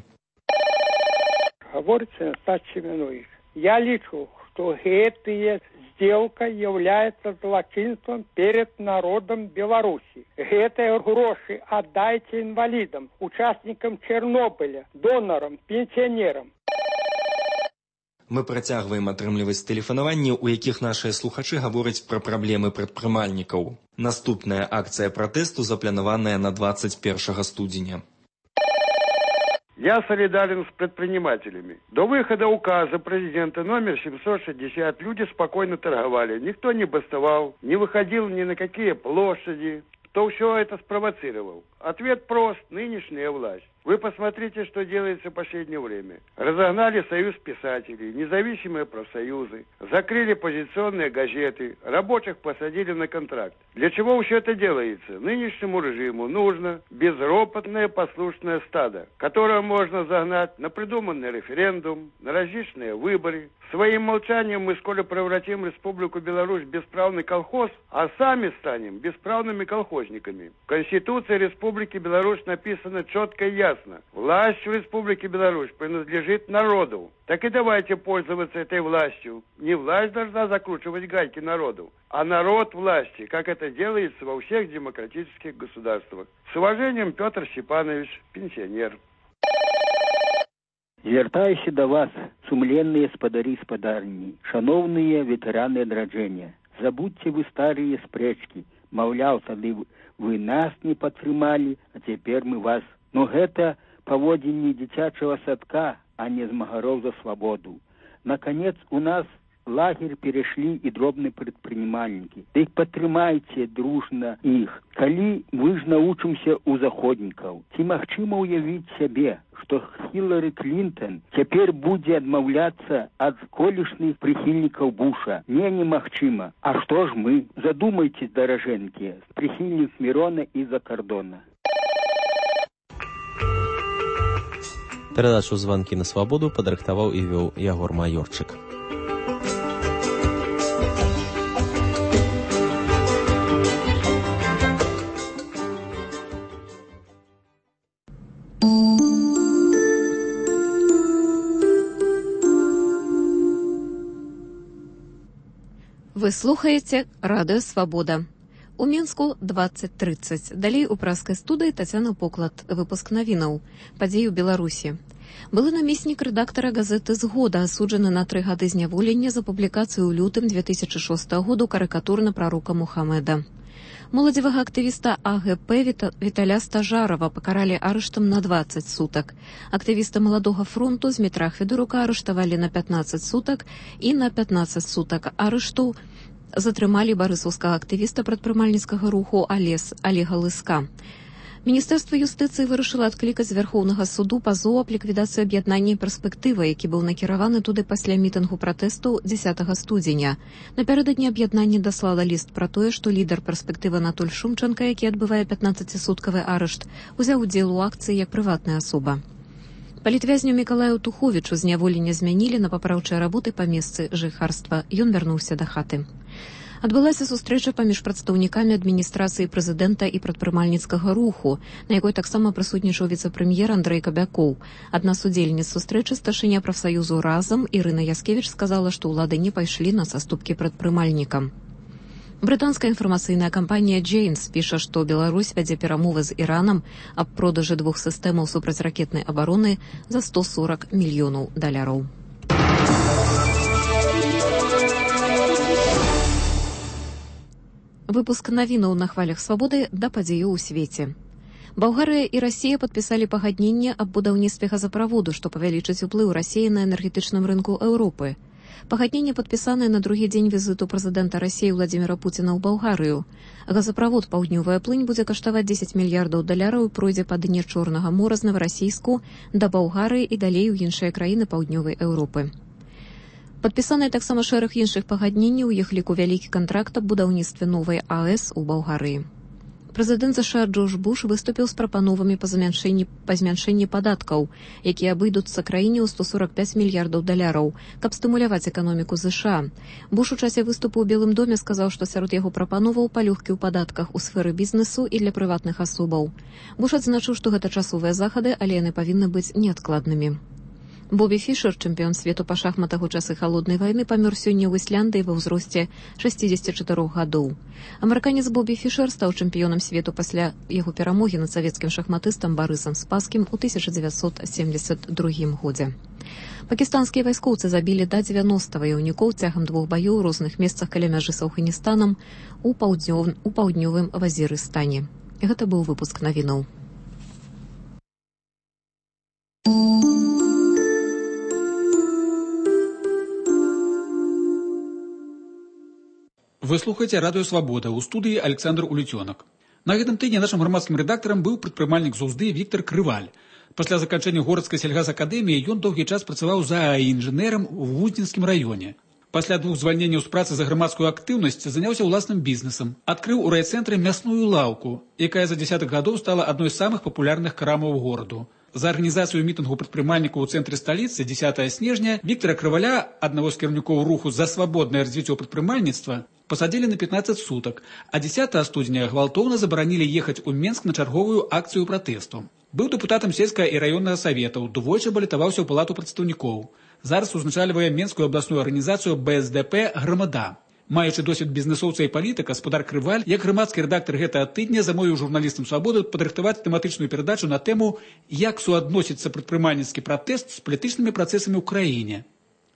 Гаворыцца Стас Семенович. Я лічу, што гэтая сделка является злочинством перед народом Беларуси. Гэтые гроши отдайте инвалидам, участникам Чернобыля, донорам, пенсионерам. Мы працягваем атрымліваць тэлефанаванні, у якіх нашыя слухачы гавораць пра праблемы прадпрымальнікаў. Наступная акцыя пратэсту запланаваная на 21 студзеня. Я солидарен с предпринимателями. До выхода указа президента номер 760 люди спокойно торговали. Никто не бастовал, не выходил ни на какие площади. Кто все это спровоцировал? Ответ прост. Нынешняя власть. Вы посмотрите, что делается в последнее время. Разогнали союз писателей, независимые профсоюзы, закрыли позиционные газеты, рабочих посадили на контракт. Для чего все это делается? Нынешнему режиму нужно безропотное послушное стадо, которое можно загнать на придуманный референдум, на различные выборы. Своим молчанием мы скоро превратим Республику Беларусь в бесправный колхоз, а сами станем бесправными колхозниками. В Конституции Республики Беларусь написано четко и ясно. Власть в Республике Беларусь принадлежит народу. Так и давайте пользоваться этой властью. Не власть должна закручивать гайки народу, а народ власти, как это делается во всех демократических государствах. С уважением, Петр Степанович, пенсионер. Звяртаюся да вас, сумленныя спадарі і спадарні, шановныя ветэраны адраджэння. Забудьце вы старыя спрэчкі. Маўляў, тады вы нас не падтрымалі, а цяпер мы вас. Но гэта паводзінні дзіцячага садка, а не змагароў за свабоду. Наконец, у нас лагерь перешли и дробные предпринимальники. Да их подтримайте дружно их. Коли мы ж научимся у заходников, ці магчыма уявіць себе, что Хиллари Клинтон теперь будет отмовляться от колешных прихильников Буша. Немагчыма. А что ж мы? Задумайтесь, дороженьки, прихильник Мирона из-за кордона. Перадачу «Звонки на свободу» падрыхтаваў і вёў Ягор Майорчык. Вы слухаете радио «Свобода». У Мінску 20:30. Далей у праскай студыі Тацяна Поклад. Выпуск навінаў. Падзеі ў Беларусі. Былы намеснік рэдактара газеты «Згода» асуджаны на 3 гады зняволення за публікацыю ў лютым 2006 году карыкатур на прарока Мухаммеда. Моладзевага актывіста АГП Віталя Стажарова пакаралі арыштам на 20 сутак. Актывіста Маладога фронту Змітра Хведорука арыштавалі на 15 сутак і на 15 сутак арышту затрымалі барысаўскага актывіста прадпрымальніцкага руху Олега Лыска. Міністэрства юстыцыі вырашыла адклікаць з Вярхоўнага суду пазоў аб ліквідацыі аб'яднання «Перспектыва», які быў накіраваны туды пасля мітынгу пратэсту 10 студзеня. Напярэдадні аб'яднанне даслала ліст пра тое, што лідар «Перспектывы» Анатоль Шумчанка, які адбывае 15-суткавы арышт, узяў удзел у акцыі як прыватная асоба. Палітвязню Мікалаю Туховічу зняволення змянілі на папраўчыя работы па месцы жыхарства. Ён вярнуўся да хаты. Адбылася сустрэча паміж прадстаўнікамі адміністрацыі прэзідэнта і прадпрымальніцкага руху, на якой таксама прысутнічаў віцэ-прэм'ер Андрэй Кабякоў. Адна з удзельніц сустрэчы старшыня прафсаюзу «Разам» Ірына Яскевіч сказала, што ўлады не пайшлі на саступкі прадпрымальнікам. Брытанская інфармацыйная кампанія «Джеймс» піша, што Беларусь вядзе перамовы з Іранам аб продажы 2 сістэмаў супрацьракетнай абароны за $140 мільёнаў. Выпуск навінаў на хвалях свабоды да падзеяў у свеце. Балгарыя і Расія падпісалі пагадненне аб будаўніцтве газаправоду, што павялічыць уплыў Расіі на энергетычным рынку Еўропы. Пагадненне падпісанае на другі дзень візіту прэзідэнта Расіі Владзіміра Пуціна ў Балгарыю. Газаправод «Паўднёвая плынь» будзе каштаваць $10 мільярдаў і пройдзе па дне Чорнага мора з Новарассійску да Балгарыі і далей у іншыя краіны паўднёвай Еўропы. Падпісаныя таксама шэраг іншых пагадненняў, у іх ліку вялікі кантракт аб будаўніцтве новай АЭС у Балгарыі. Прэзідэнт США Джордж Буш выступіў з прапановамі па змяншэнні падаткаў, якія абыдуцца краіне ў $145 мільярдаў, каб стымуляваць эканоміку США. Буш у часе выступу ў Белым доме сказаў, што сярод яго прапановаў палёгкі ў падатках у сферы бізнесу і для прыватных асобаў. Буш адзначыў, што гэта часовыя захады, але яны павінны быць неадкладнымі. Бобі Фішер, чэмпіён свету па шахматах у часы халоднай вайны, памёр сёння ў Ісляндыі ва ўзросце 64 гадоў. Амерыканец Бобі Фішер стаў чэмпіёнам свету пасля яго перамогі над савецкім шахматыстам Барысам Спаскім у 1972 годзе. Пакістанскія вайскоўцы забілі да 90 ваяўнікоў цягам 2 баёў у розных месцах каля мяжы з Афганістанам у паўднёвым Вазірыстане. Гэта быў выпуск навінаў. Вы слухаеце радыё «Свабода», у студыі Александр Улецёнак. На гэтым тыдні нашым грамадскім рэдактарам быў прадпрымальнік з Узды Віктор Крываль. Пасля заканчэння городскай сельгазакадэміі ён доўгі час працаваў зааінжынерам у Вудзінскім раёне. Пасля 2 звальненняў з працы за грамадскую актыўнасць заняўся ўласным бізнесам. Адкрыў у райцэнтры мясную лаўку, якая за дзясятых гадоў стала адной з самых папулярных крамаў гораду. За арганізацыю мітынгу прадпрымальнікаў у цэнтры сталіцы 10 снежня Віктора Крываля, аднаго з кіраўнікоў руху за свабоднае развіццё прадпрымальніцтва, пасадзілі на 15 сутак, а 10 студзеня гвалтоўна забаранілі ехаць у Менск на чарговую акцыю пратэсту. Быў дэпутатам сельскага і раённага саветаў, двойчы балатаваўся ў палату прадстаўнікоў. Зараз узначальвае Менскую абласную арганізацыю БСДП «Грамада». Маючы досвед бізнесоўца і палітыка, гаспадар Крываль, як грамадскі рэдактар гэтага тыдня, замовіў журналістам «Свабоды» падрыхтаваць тэматычную перадачу на тэму «Як суадносіцца прадпрымальніцкі пратэст з палітычнымі працэсамі ў краіне».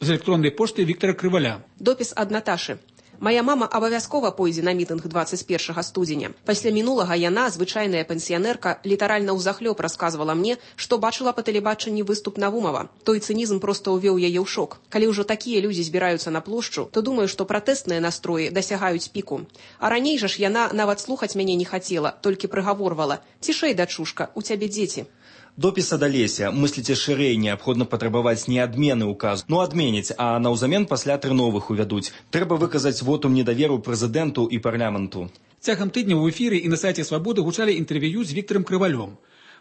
З электроннай пошты Віктора Крываля. Допіс ад Наташы. Мая мама абавязкова пойдзе на мітынг 21 студзеня. Пасля мінулага яна, звычайная пенсіянерка, літаральна ўзахлёб расказвала мне, што бачыла па тэлебачанні выступ Навумова. Той цынізм проста ўвёў яе ў шок. Калі ўжо такія людзі збіраюцца на плошчу, то думаю, што пратэстныя настроі дасягаюць піку. А раней жа ж яна нават слухаць мяне не хацела, толькі прыгаворвала: «Цішэй, дачушка, у цябе дзеці». Допіс ад Алеся. Мысліце шырэй, неабходна патрабаваць не адмены ўказу. Адменіць, а наўзамен пасля 3 новых увядуць. Трэба выказаць вотум недаверу прэзідэнту і парламенту. Цягам тыдня ў эфіры і на сайце «Свабоды» гучалі інтэрв'ю з Віктарам Крывалём.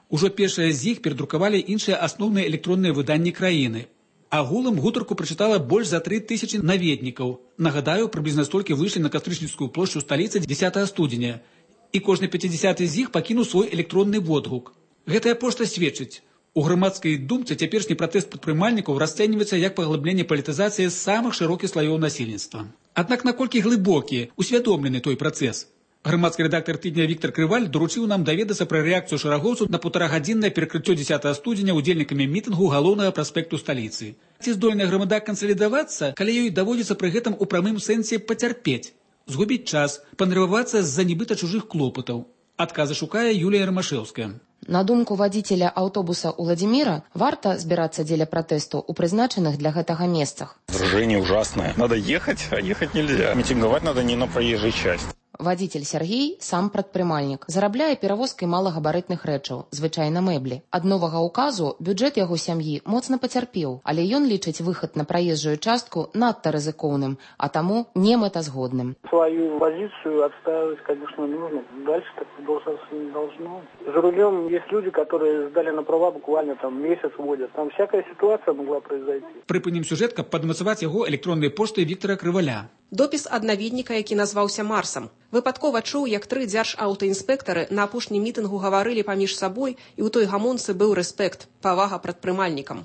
Ужо першае з іх перадрукавалі іншыя асноўныя электронныя выданні краіны. Агулам гутарку прачытала больш за 3000 наведнікаў. Нагадаю, прыблізна столькі выйшлі на Кастрычніцкую плошчу сталіцы 10 студзеня. І кожны 50-й з іх пакінуў свой электронны водгук. Гэтая пошта сведчыць. У грамадскай думцы цяперашні пратэст прадпрымальнікаў расцэньваецца як паглыбленне палітызацыі самых шырокіх слаёў насельніцтва. Аднак наколькі глыбокі, усвядомлены той працэс? Грамадскі рэдактар тыдня Віктар Крываль даручыў нам даведацца пра рэакцыю шэрагоўцаў на 1,5-гадзіннае перакрыццё 10 студзеня удзельнікамі мітынгу галоўнага праспекту сталіцы. Ці здольная грамада кансалідавацца, калі ёй даводзіцца пры гэтым у прамым сэнсе пацярпець, згубіць час, панервавацца з-за нібыта чужых клопатаў? Адказы шукае Юлія Ромашэўская. На думку вадзіцеля аўтобуса Уладзіміра, варта збірацца дзеля пратэсту ў прызначаных для гэтага месцах. Выражение ужасное. Надо ехать, а ехать нельзя. Митинговать надо не на проезжей части. Вадзіцель Сергей сам прадпрымальнік, зарабляе перавозкай малагабарытных рэчаў, звычайна мэблі. Ад новага ўказу бюджэт яго сям'і моцна пацярпеў, але ён лічыць выхад на праезжую частку надта рызыкоўным, а таму немэтазгодным. Свою позицию отстаивать, конечно, нужно. Дальше так продолжаться не должно. За рулем есть люди, которые сдали на права буквально месяц водят. Там всякая ситуация могла произойти. Прыпынім сюжэт, каб падмацаваць яго электроннай поштай Віктара Крываля. Допіс ад наведніка, які назваўся Марсам. Выпадкова чуў, як 3 дзяржаўтаінспектары на апошнім мітынгу гаварылі паміж сабой, і ў той гамонцы быў рэспект, павага прадпрымальнікам.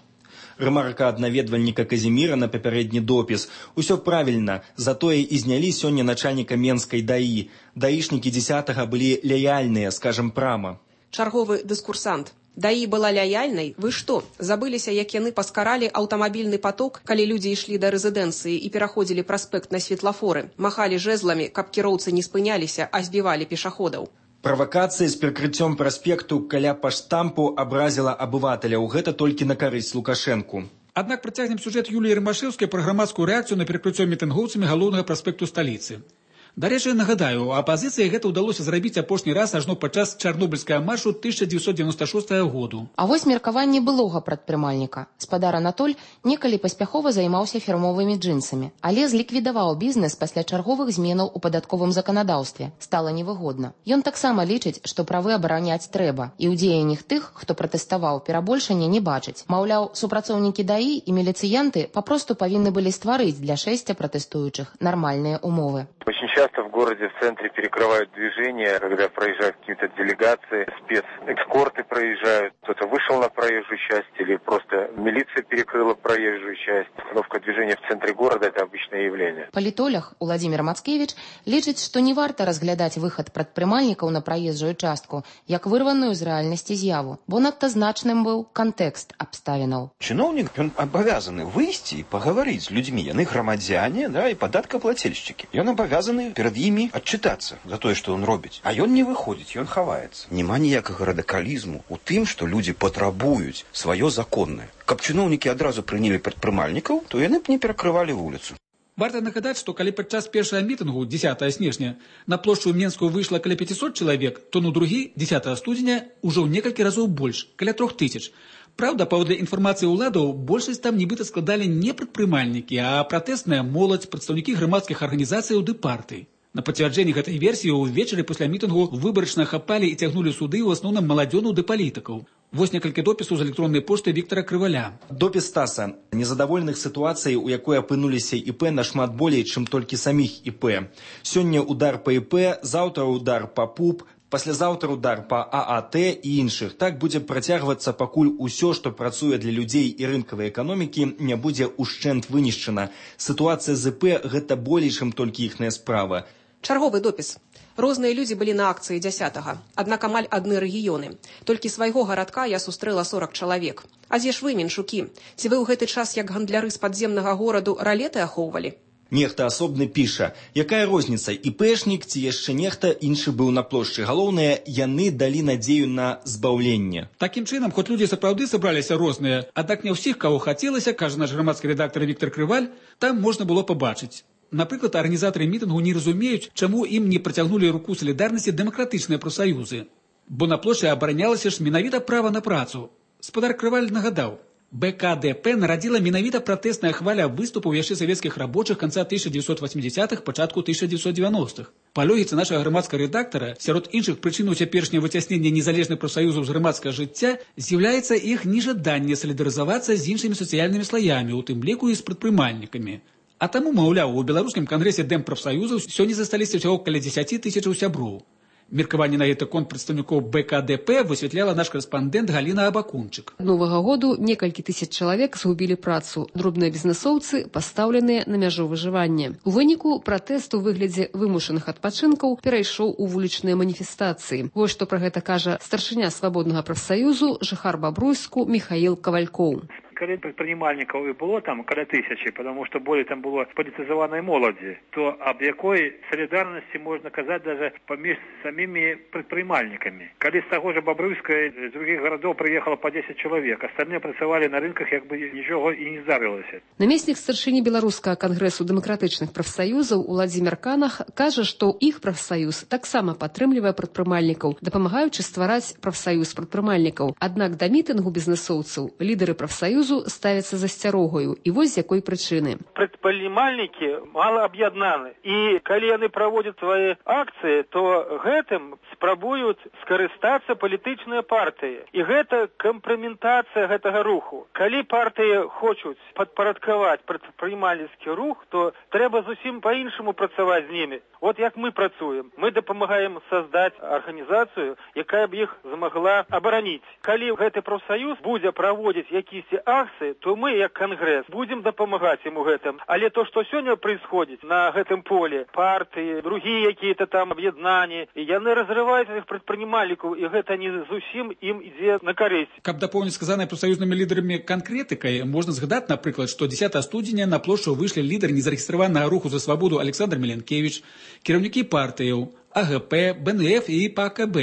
Рэмарка ад наведвальніка Казіміра на папярэдні допіс. Усё правільна, затое і знялі сёння начальніка Менскай ДАІ. Даішнікі 10-га былі лаяльныя, скажам прама. Чарговы дыскурсант. ДАІ была лаяльнай? Вы што, забыліся, як яны паскаралі аўтамабільны поток, калі людзі ішлі да рэзідэнцыі і пераходзілі праспект на светлафоры, махалі жэзламі, каб кіроўцы не спыняліся, а збівалі пешаходаў. Правакацыя з перакрыццём праспекту каля паштампу абразіла абываталяў. Гэта толькі на карысць Лукашэнку. Аднак працягнем сюжэт Юліі Ромашэўскай пра грамадскую рэакцыю на перакрыццё мітынгоўцамі галоўнага праспекту сталіцы. Дарэчы, нагадаю, апазіцыі гэта ўдалося зрабіць апошні раз ажно падчас чарнобыльскага маршу 1996 году. А вось меркаванне былога прадпрымальніка. Спадар Анатоль некалі паспяхова займаўся фірмовымі джинсамі, але зліквідаваў бізнес пасля чарговых зменаў у падатковым заканадаўстве. Стала невыгодна. Ён таксама лічыць, што правы абараняць трэба, і ў дзеяннях тых, хто пратэставаў, перабольшання не бачыць. Маўляў, супрацоўнікі ДАІ і міліцыянты папросту павінны былі стварыць для шэсця пратэстуючых нармальныя умовы. Очень часто в городе, в центре перекрывают движение, когда проезжают какие-то делегации, спецэскорты проезжают. Кто-то вышел на проезжую часть или просто милиция перекрыла проезжую часть. Остановка движения в центре города – это обычное явление. Палітолог Уладзімір Мацкевіч лічыць, што не варта разглядаць выхад прадпрымальнікаў на праезжую частку як вырваную з рэальнасці з'яву, бо надта значным быў кантэкст абставінаў. Чыноўнік, ён абавязаны выйсці і пагаварыць з людзьмі. Яны грамадзяне, і падаткаплацельшчыкі. Ён абавязаны перад імі адчытацца за тое, што ён робіць. А ён не выходзіць, ён хаваецца. Нема ніякага радыкалізму ў тым, што людзі патрабуюць сваё законнае. Каб чыноўнікі адразу прынялі прадпрымальнікаў, то яны б не перакрывалі вуліцу. Варта нагадаць, што калі падчас першага мітынгу 10 снежня на плошчу Менскую выйшла каля 500 чалавек, то на другі 10 студзеня ўжо ў некалькі разоў больш, каля 3000. Праўда, паводле інфармацыі ўладаў, большасць там нібыта складалі не прадпрымальнікі, а пратэсная моладзь, прадстаўнікі грамадскіх арганізацыяў ды партый. На пацвярджэнні гэтай версіі ўвечары пасля мітынгу выбарачна хапалі і цягнулі суды ў асноўным маладзёнаў ды палітыкаў. Вось некалькі допісаў з электроннай пошты Віктара Крываля. Допіс Стаса. Незадаволеных сітуацый, у якой апынуліся ІП нашмат болей, чым толькі саміх ІП. Сёння удар па ІП, заўтра удар па ПУП, паслязаўтра удар па ААТ і іншых. Так будзе працягвацца, пакуль усё, што працуе для людзей і рынкавай эканомікі, не будзе ўшчэнт вынішчана. Сітуацыя з ІП – гэта болей, чым толькі іхная справа. Чарговы допіс. Розныя людзі былі на акцыі 10-га, аднак амаль адны рэгіёны. Толькі свайго гарадка я сустрэла 40 чалавек. А дзе ж вы, меншукі? Ці вы ў гэты час, як гандляры з падземнага гораду, ралеты ахоўвалі? Нехта асобны піша, якая розніца, іпэшнік ці яшчэ нехта іншы быў на плошчы. Галоўнае, яны далі надзею на збаўленне. Такім чынам, хоць людзі сапраўды сабраліся розныя, аднак не ўсіх, каго хацелася, кажа наш грамадскі рэдактар Віктор Крываль, там можна было пабачыць. Напрыклад, арганізатары мітынгу не разумеюць, чаму ім не працягнулі руку салідарнасці дэмакратычныя прафсаюзы. Бо на плошчы абаранялася ж менавіта права на працу. Спадар Крываль нагадаў, БКДП нарадзіла менавіта пратэсная хваля выступаў яшчэ савецкіх рабочых канца 1980-х, пачатку 1990-х. Па логіцы нашага грамадскага рэдактара, сярод іншых прычынаў цяперашняга выцяснення незалежных прафсаюзаў з грамадскага жыцця з'яўляецца іх нежаданне салідарызавацца з іншымі сацыяльнымі слаямі, у тым ліку і з прадпрымальнікамі. А таму, маўляў, у беларускім кангрэсе дэмпрафсаюзаў сёння засталіся ўсяго каля 10 тысячаў сяброў. Меркаванне на гэты конт прадстаўнікоў БКДП высвятляла наш корэспандэнт Галіна Абакунчык. Новага году некалькі тысяч чалавек згубілі працу. Дробныя бізнесоўцы пастаўленыя на мяжу выжывання. У выніку пратэст у выглядзе вымушаных адпачынкаў перайшоў у вулічныя маніфестацыі. Вось што пра гэта кажа старшыня свабоднага прафсаюзу, жыхар Бабруйску Михаил Ковалькоў. Калі прадпрымальнікаў і было там каля тысячи, потому что болей там было палітызаванай моладзі, то аб якой салідарнасці можна казаць даже паміж самімі прадпрымальнікамі. Калі з таго ж Бабруйска з других гарадоў прыехала по 10 чалавек, астальныя працавалі на рынках, як бы нічога і не здарылася. Намеснік старшыні беларускага кангрэсу дэмакратычных прафсаюзаў Уладзімір Канах кажа, што іх прафсаюз таксама падтрымлівае прадпрымальнікаў, дапамагаючы ствараць прафсаюз прадпрымальнікаў. Аднак да мітынгу бізнесоўцаў лідары прафсаюзу ставяцца засцярогаю. І вось з якой прычыны. Прадпрымальнікі мала аб'яднаны. І калі яны праводзяць свае акцыі, то гэтым спрабуюць скарыстацца палітычныя партыі. І гэта кампраментацыя гэтага руху. Калі партыі хочуць падпарадкаваць прадпрымальніцкі рух, то трэба зусім па-іншаму працаваць з імі. Вот як мы працуем. Мы дапамагаем создаць арганізацыю, якая б іх змагла абараніць. Калі гэты прафсаюз будзе праводзіць якісь акции, то мы, як Конгресс, будем дапамагаць ему гэтым. Але то, что сегодня происходит на гэтым поле, партии, другие какие-то там объединения, яны разрывают этих предпринимальников, и гэта не зусім им ідзе на карысць. Каб дапоўніць сказанае прафсаюзнымі лідарамі канкрэтыкай, можна згадаць, напрыклад, што 10 студзеня на плошчу выйшлі лідары незарэгістраванага руху за свабоду Александр Меленкевич, кіраўнікі партыяў АГП, БНФ і ПКБ,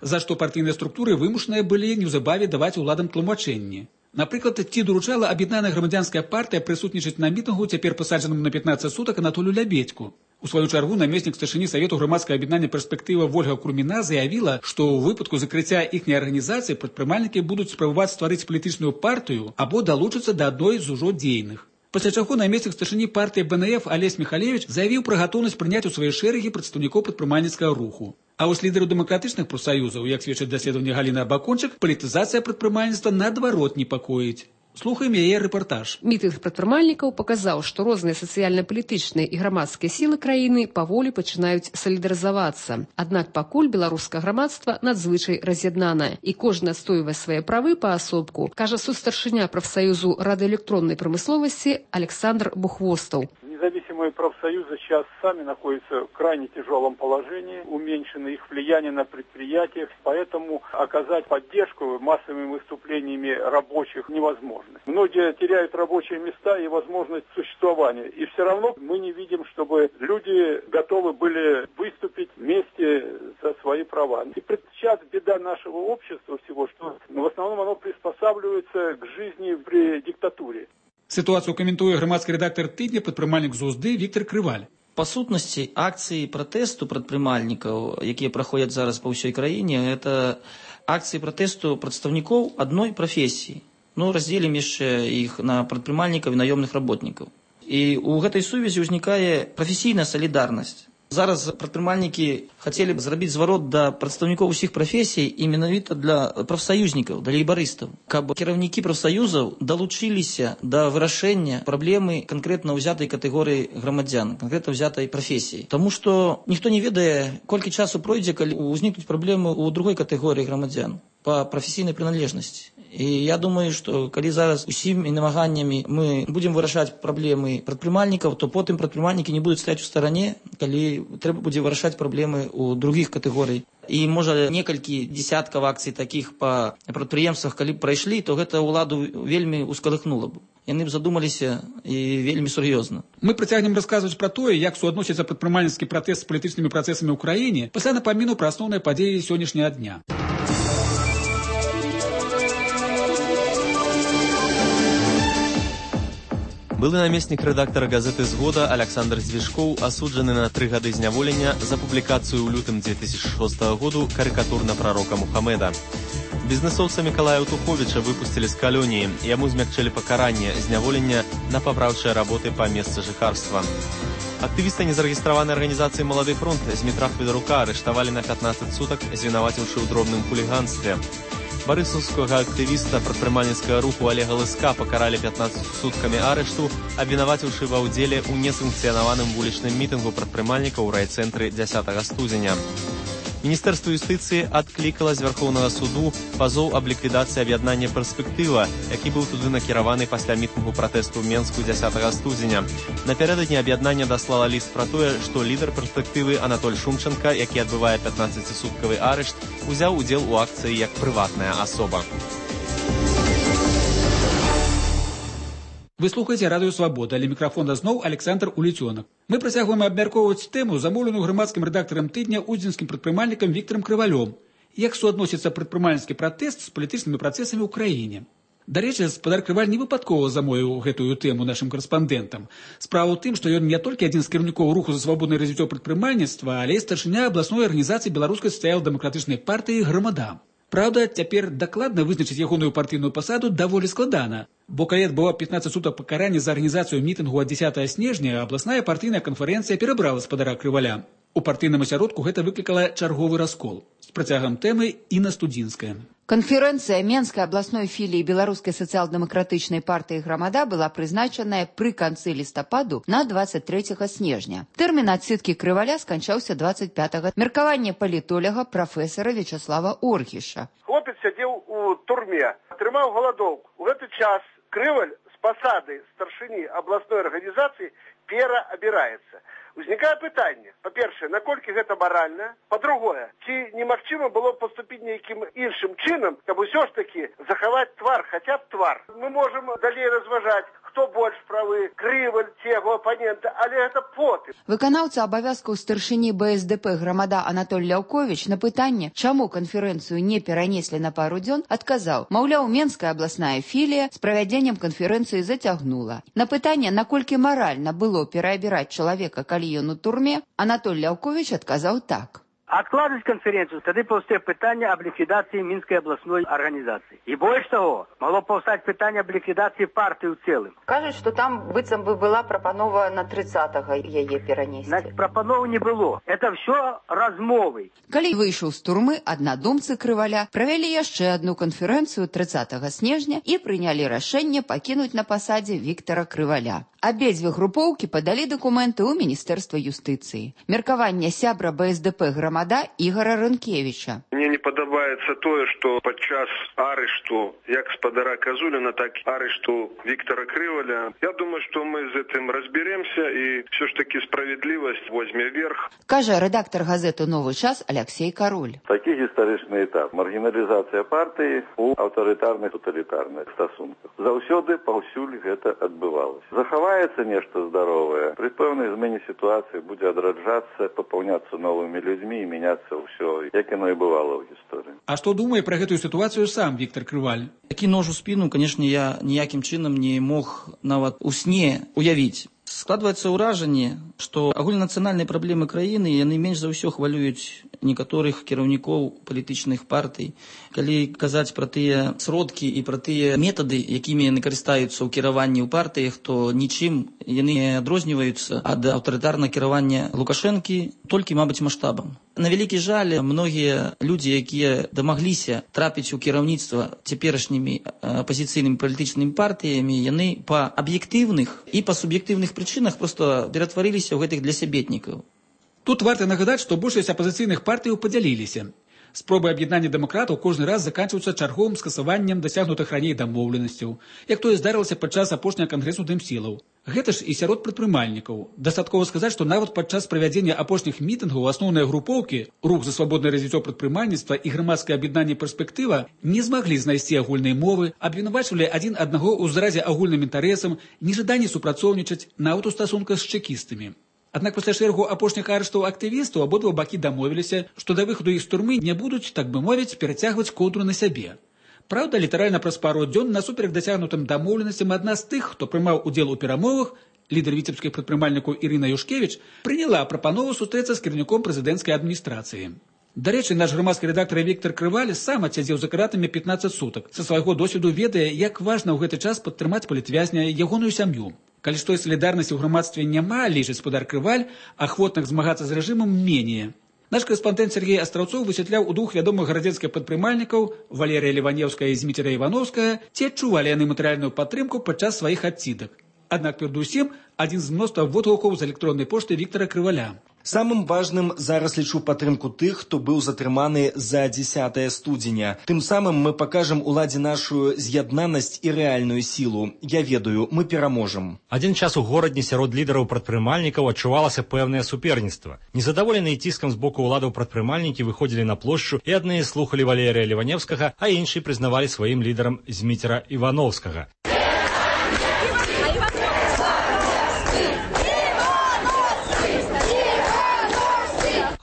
за што партыйныя структуры вымушаныя былі неўзабаве даваць уладам тлумачэнні. Напрыклад, ці доручала аб'яднаная грамадзянская партыя прысутнічаць на мітынгу цяпер пасаджаным на 15 сутак Анатолію Лябедьку. У сваю чаргу намеснік старшыні Савету грамадскага аб'яднання перспектыва Вольга Курміна заявіла, што ў выпадку закрыцця іхняй арганізацыі прадпрымальнікі будуць спрабаваць стварыць палітычную партыю або далучыцца да адной з ужо дзейных. Пасля чаго намеснік старшыні партыі БНФ Алесь Михалевич заявіў пра гатоўнасць прыняць у свае шэрагі прадстаўнікоў прадпрымальніцкага руху. А вось лідару дэмакратычных прафсаюзаў, як сведчыць даследаванне Галіны Абакончык, палітызацыя прадпрымальніцтва наадварот непакоіць. Слухаем яе рэпартаж. Мітынг прадпрымальнікаў паказаў, што розныя сацыяльна-палітычныя і грамадскія сілы краіны паволі пачынаюць салідарызавацца. Аднак пакуль беларускае грамадства надзвычай раз'яднанае, і кожны адстойвае свае правы паасобку, кажа сустаршыня прафсаюзу радыёэлектроннай прамысловасці Александр Бухвостаў. Независимые профсоюзы сейчас сами находятся в крайне тяжелом положении, уменьшено их влияние на предприятиях, поэтому оказать поддержку массовыми выступлениями рабочих невозможно. Многие теряют рабочие места и возможность существования, и все равно мы не видим, чтобы люди готовы были выступить вместе за свои права. И сейчас беда нашего общества всего, что в основном оно приспосабливается к жизни при диктатуре. Ситуацию каментуе грамадскі рэдактар тыдня, прадпрымальнік з УЗД Віктор Крываль. Па сутнасці, акцыі пратэсту прадпрымальнікаў, якія праходзяць зараз па ўсёй краіне, гэта акцыі пратэсту прадстаўнікоў адной прафесіі. Раздзелім яшчэ іх на прадпрымальнікаў і наёмных работнікаў. І ў гэтай сувязі ўзнікае прафесійная салідарнасць. Зараз прадпрымальнікі хацелі б зрабіць зварот да прадстаўнікоў усіх прафесій і менавіта для прафсаюзнікаў, для лейбарыстаў, каб кіраўнікі прафсаюзаў далучыліся да вырашэння праблемы канкрэтна ўзятай катэгорыі грамадзян, канкрэтна ўзятай прафесіі. Таму што ніхто не ведае, колькі часу пройдзе, калі ўзнікнуць праблемы ў другой катэгорыі грамадзян па прафесійнай прыналежнасці. І я думаю, што калі зараз усімі намаганнямі мы будзем вырашаць праблемы прадпрымальнікаў, то потым прадпрымальнікі не будуць стаяць у старане, калі трэба будзе вырашаць праблемы ў другіх катэгорый. І можа некалькі десяткаў акцый такіх па прадпрыемствах, калі б прайшлі, то гэта ўладу вельмі ускалыхнула б. Яны б задумаліся і вельмі сур'ёзна. Мы працягнем расказваць пра тое, як суадносіцца прадпрымальніцкі пратэст з палітычнымі працэсамі ў краіне пасля напаміну пра асноўныя падзеі сённяшняга дня. Былы намеснік рэдактара газеты «Згода» Александр Звежкоў асуджаны на 3 гады зняволення за публікацыю ў лютым 2006 году карыкатур на прарока Мухаммеда. Бізнесоўца Мікалая Утуховіча выпусцілі з калоніі. Яму змякчылі пакаранне зняволення на папраўчыя работы па месцы жыхарства. Актывіста незарэгістраванай арганізацыі «Малады фронт» Змітра Федарука арыштавалі на 15 сутак, звінаваціўшы ў дробным хуліганстве. Барысаўскага актывіста прадпрымальніцкага руху Олега Лыска пакаралі 15 суткамі арышту, абвінаваціўшы ва ўдзеле ў несанкцыянаваным вулічным мітынгу прадпрымальнікаў у райцэнтры 10 студзеня. Міністэрства юстыцыі адклікала з Вярхоўнага суду пазоў аб ліквідацыі аб'яднання «Перспектыва», які быў туды накіраваны пасля мітынгу пратэсту ў Менску 10 студзеня. Напярэдадні аб'яднання даслала ліст пра тое, што лідар «Перспектывы» Анатоль Шумченка, які адбывае 15-суткавы арышт, узяў удзел у акцыі як прыватная асоба. Вы слухаеце радыё «Свабода», але мікрафона зноў Александр Уліцёнак. Мы працягваем абмяркоўваць тэму, замоўленую грамадскім рэдактарам тыдня удзенскім прадпрымальнікам Віктарам Крывалём. Як суадносіцца прадпрымальніцкі пратэст з палітычнымі працэсамі ў краіне. Дарэчы, спадар Крываль не выпадкова замовіў гэтую тэму нашым карэспандэнтам. Справа ў тым, што ён не толькі адзін з кіраўнікоў руху за свабоднае развіццё прадпрымальніцтва, але і старшыня абласной арганізацыі беларускай сацыял-дэмакратычнай партыі «Грамада». Праўда, цяпер дакладна вызначыць ягоную партыйную пасаду даволі складана, бо калі адбыла 15 сутак пакарання за арганізацыю мітынгу ад 10 снежня, абласная партыйная канферэнцыя перабрала спадара Крываля. У партыйным асяродку гэта выклікала чарговы раскол. З працягам тэмы Інна Студзінская. Конференция Менской областной филии Белорусской социал-демократичной партии «Громада» была призначена при конце листопаду на 23 снежня. Термин отсидки Крываля скончался 25-го. Меркование политолога профессора Вячеслава Орхиша. Хлопец сидел у турме, тримав голодовку. В этот час Крываль с посады старшини областной организации переобирается. Узнікае пытанне, па-першае, наколькі гэта маральна, па-другое, ці немагчыма было паступіць нейкім іншым чынам, каб усё ж такі захаваць твар, хаця б твар. Мы можам далей разважаць, хто больш правы, Крываль ці яго апанента, але гэта потым. Выканаўца абавязкаў старшыні БСДП «Грамада» Анатоль Ляўковіч на пытанне, чаму канферэнцыю не перанеслі на пару дзён, адказаў, маўляў, Менская абласная філія з правядзеннем канферэнцыі зацягнула. На пытанне, наколькі маральна было пераабіраць чалавека, калі ён у турме, Анатоль Ляўковіч адказаў так. Откладывать конференцию, тогда повстает питание об ликвидации Минской областной организации. И больше того, могло повстать питание об ликвидации партии в целом. Кажуть, что там быццам бы была прапанова на 30-го яе перанесці. Значит, прапановы не было. Это все размовы. Калі выйшаў з турмы, аднадумцы Крываля правялі яшчэ адну канферэнцыю 30 снежня і прынялі рашэнне пакінуць на пасадзе Віктара Крываля. Абедзве групоўкі падалі дакументы ў Міністэрства юстыцыі. Меркаванне сябра БСДП «Грамада» Ігора Рынкевіча. Мне не падабаецца тое, што падчас арышту як спадара Казуліна, так і арышту Віктара Крываля. Я думаю, што мы з гэтым разберемся і все ж таки справедлівасць возьме верх. Кажа рэдактар газеты «Новы час» Алексей Кароль. Такі гістарычны этап. Маргіналізацыя партыі ў аўтарытарных тоталітарных стасунках. Заўсёды паўсюль гэта адбывалася. Захаваецца нешта здаровае. Пры пэўнай змене сітуацыі будзе адраджацца, папаўняцца новымі людзьмі і мяняцца ўсё, як яно і бывало ў гісторыі. А што думае пра гэтую сітуацыю сам Віктар Крываль? Такі нож у спіну, канешне, я ніякім чынам не мог нават у сне уявіць. Складваецца ўражанне, што агульнанацыянальныя праблемы краіны яны менш за ўсё хвалююць некаторых кіраўнікоў палітычных партый. Калі казаць пра тыя сродкі і пра тыя метады, якімі яны карыстаюцца ў кіраванні ў партыях, то нічым яны не адрозніваюцца ад аўтарытарнага кіравання Лукашэнкі, толькі, мабыць, маштабам. На вялікі жаль, многія людзі, якія дамагліся трапіць у кіраўніцтва цяперашнімі апазіцыйнымі палітычнымі партыямі, яны па аб'ектыўных і па суб'ектыўных прычынах просто ператварыліся ў гэтых для сябетнікаў. Тут варта нагадаць, што большасць апазіцыйных партыяў падзяліліся. Спробы аб'яднання дэмакратаў кожны раз заканчваюцца чарговым скасаваннем дасягнутых раней дамоўленасцяў, як тое здарылася падчас апошняга кангрэсу дэмсілаў. Гэта ж і сярод прадпрымальнікаў. Дастаткова сказаць, што нават падчас правядзення апошніх мітынгаў асноўныя групоўкі, рух за свабоднае развіццё прадпрымальніцтва і грамадскае аб'яднанне перспектыва не змаглі знайсці агульнай мовы, абвінавачвалі адзін аднаго ў зразе агульным інтарэсам, нежаданні супрацоўнічаць, нават у стасунках з чэкістамі. Аднак пасля шэрагу апошніх арыштаў актывістаў абодва бакі дамовіліся, што да выхаду іх з турмы не будуць, так бы мовіць, перацягваць коўдру на сябе. Праўда, літаральна праз пару дзён насуперак дасягнутым дамоўленасцям адна з тых, хто прымаў удзел у перамовах, лідар віцебскіх прадпрымальнікаў Ірына Юшкевіч, прыняла прапанову сустрэцца з кіраўніком прэзідэнцкай адміністрацыі. Дарэчы, наш грамадскі рэдактар Віктор Крываль сам адсядзеў за кратамі 15 сутак. Са свайго досведу ведае, як важна ў гэты час падтрымаць палітвязня ягоную сям'ю. Калі ж той салідарнасці ў грамадстве няма, лічыць спадар Крываль, ахвотных змагацца з рэжымам менее. Наш корэспандэнт Сергей Астраўцоў высвятляў у двух вядомых гарадзенскіх прадпрымальнікаў Валерія Леванеўская і Зміцера Івановская, ці адчувалі яны матэрыяльную падтрымку падчас сваіх адсідак. Аднак перадусім адзін з мноства водгукаў з электроннай пошты Віктора Крываля. Самым важным зараз лічу падтрымку тых, хто быў затрыманы за 10 студзеня. Тым самым мы пакажам уладзе нашу з'яднанасць і рэальную сілу. Я ведаю, мы пераможам. Адзін час у горадні сярод лідараў прадпрымальнікаў адчувалася пэўнае суперніцтва. Незадаволеныя ціскам з боку ўладаў прадпрымальнікі выходзілі на плошчу, і адныя слухалі Валерія Леванеўскага, а іншыя прызнавалі сваім лідарам Зміцера Івановскага.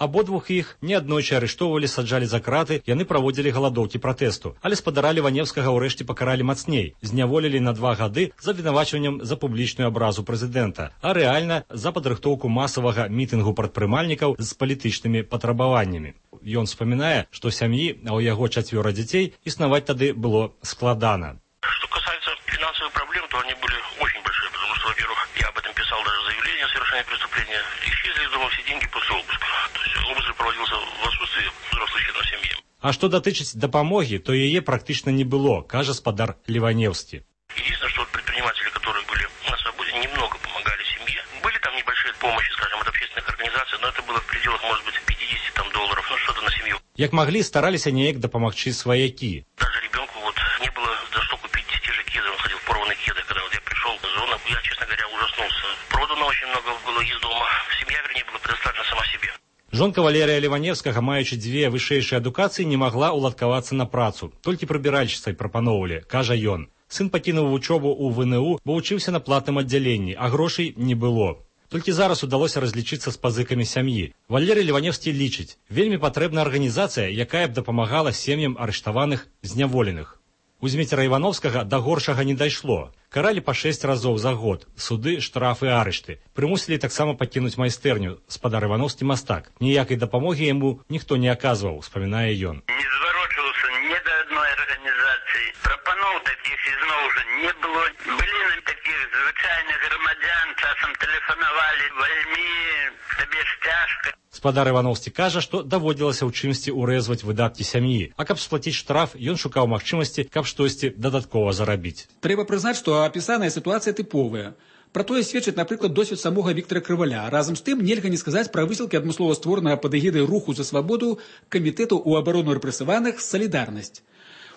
Абодвух іх неаднойчы арыштоўвалі, саджалі за краты, яны праводзілі галадоўкі пратэсту. Але спадара Леванеўскага ўрэшце пакаралі мацней, зняволілі на 2 гады з абвінавачваннем за публічную абразу прэзідэнта, а рэальна за падрыхтоўку масавага мітынгу прадпрымальнікаў з палітычнымі патрабаваннямі. Ён вспамінае, што сям'і, а ў яго 4 дзяцей, існаваць тады было складана. Что касается финансовых проблем, то они были очень большие, потому что, во-первых, я об этом писал даже заявление о совершении преступления, исчезли из дома все деньги после обыска. То есть обыск проводился в отсутствии взрослых членов семьи. А што датычыць дапамогі, то яе практычна не было, кажа спадар Леванеўскі. Единственное, что предприниматели, которые были на свободе, немного помогали семье. Были там небольшие помощи, скажем, от общественных организаций, но это было в пределах, может быть, $50 долларов, ну что-то на семью. Як маглі, стараліся неяк дапамагчы сваякі. Даже ребенку вот не было за что купить те же кеды, он ходил в порванные кеды, когда вот я пришел в зону, я, честно говоря, ужаснулся. Продано очень много было из дома, семья, вернее, была предоставлена сама себе. Жонка Валерія Леванеўскага, маючы 2 вышэйшыя адукацыі, не магла ўладкавацца на працу. Толькі прыбіральшчыцай прапаноўвалі, кажа ён. Сын пакінуў вучобу ў ВНУ, бо вучыўся на платным аддзяленні, а грошай не было. Толькі зараз удалося разлічыцца з пазыкамі сям'і. Валерый Леванеўскі лічыць, вельмі патрэбна арганізацыя, якая б дапамагала сем'ям арыштаваных, зняволеных. У Зміцера Івановскага да горшага не дайшло. Каралі па 6 разоў за год, суды, штрафы, арышты. Прымусілі таксама пакінуць майстэрню, спадар Івановскі мастак. Ніякай дапамогі яму ніхто не аказваў, успамінае ён. Не зварочваўся ні да адной арганізацыі. Прапаноў такіх ізноў уже не было. Былі такіх звычайных грамадзян, часам тэлефанавалі, вальмі, табе ж цяжка. Спадар Івановскі кажа, што даводзілася ў чымсьці ўрэзваць выдаткі сям'і, а каб сплаціць штраф, ён шукаў магчымасці, каб штосьці дадаткова зарабіць. Трэба прызнаць, што апісаная сітуацыя тыповая. Пра тое сведчыць, напрыклад, досвед самога Віктора Крываля. Разам з тым нельга не сказаць пра высілкі адмыслова створанага пад эгідай руху за свабоду камітэту ў абарону рэпрэсаваных «Салідарнасць».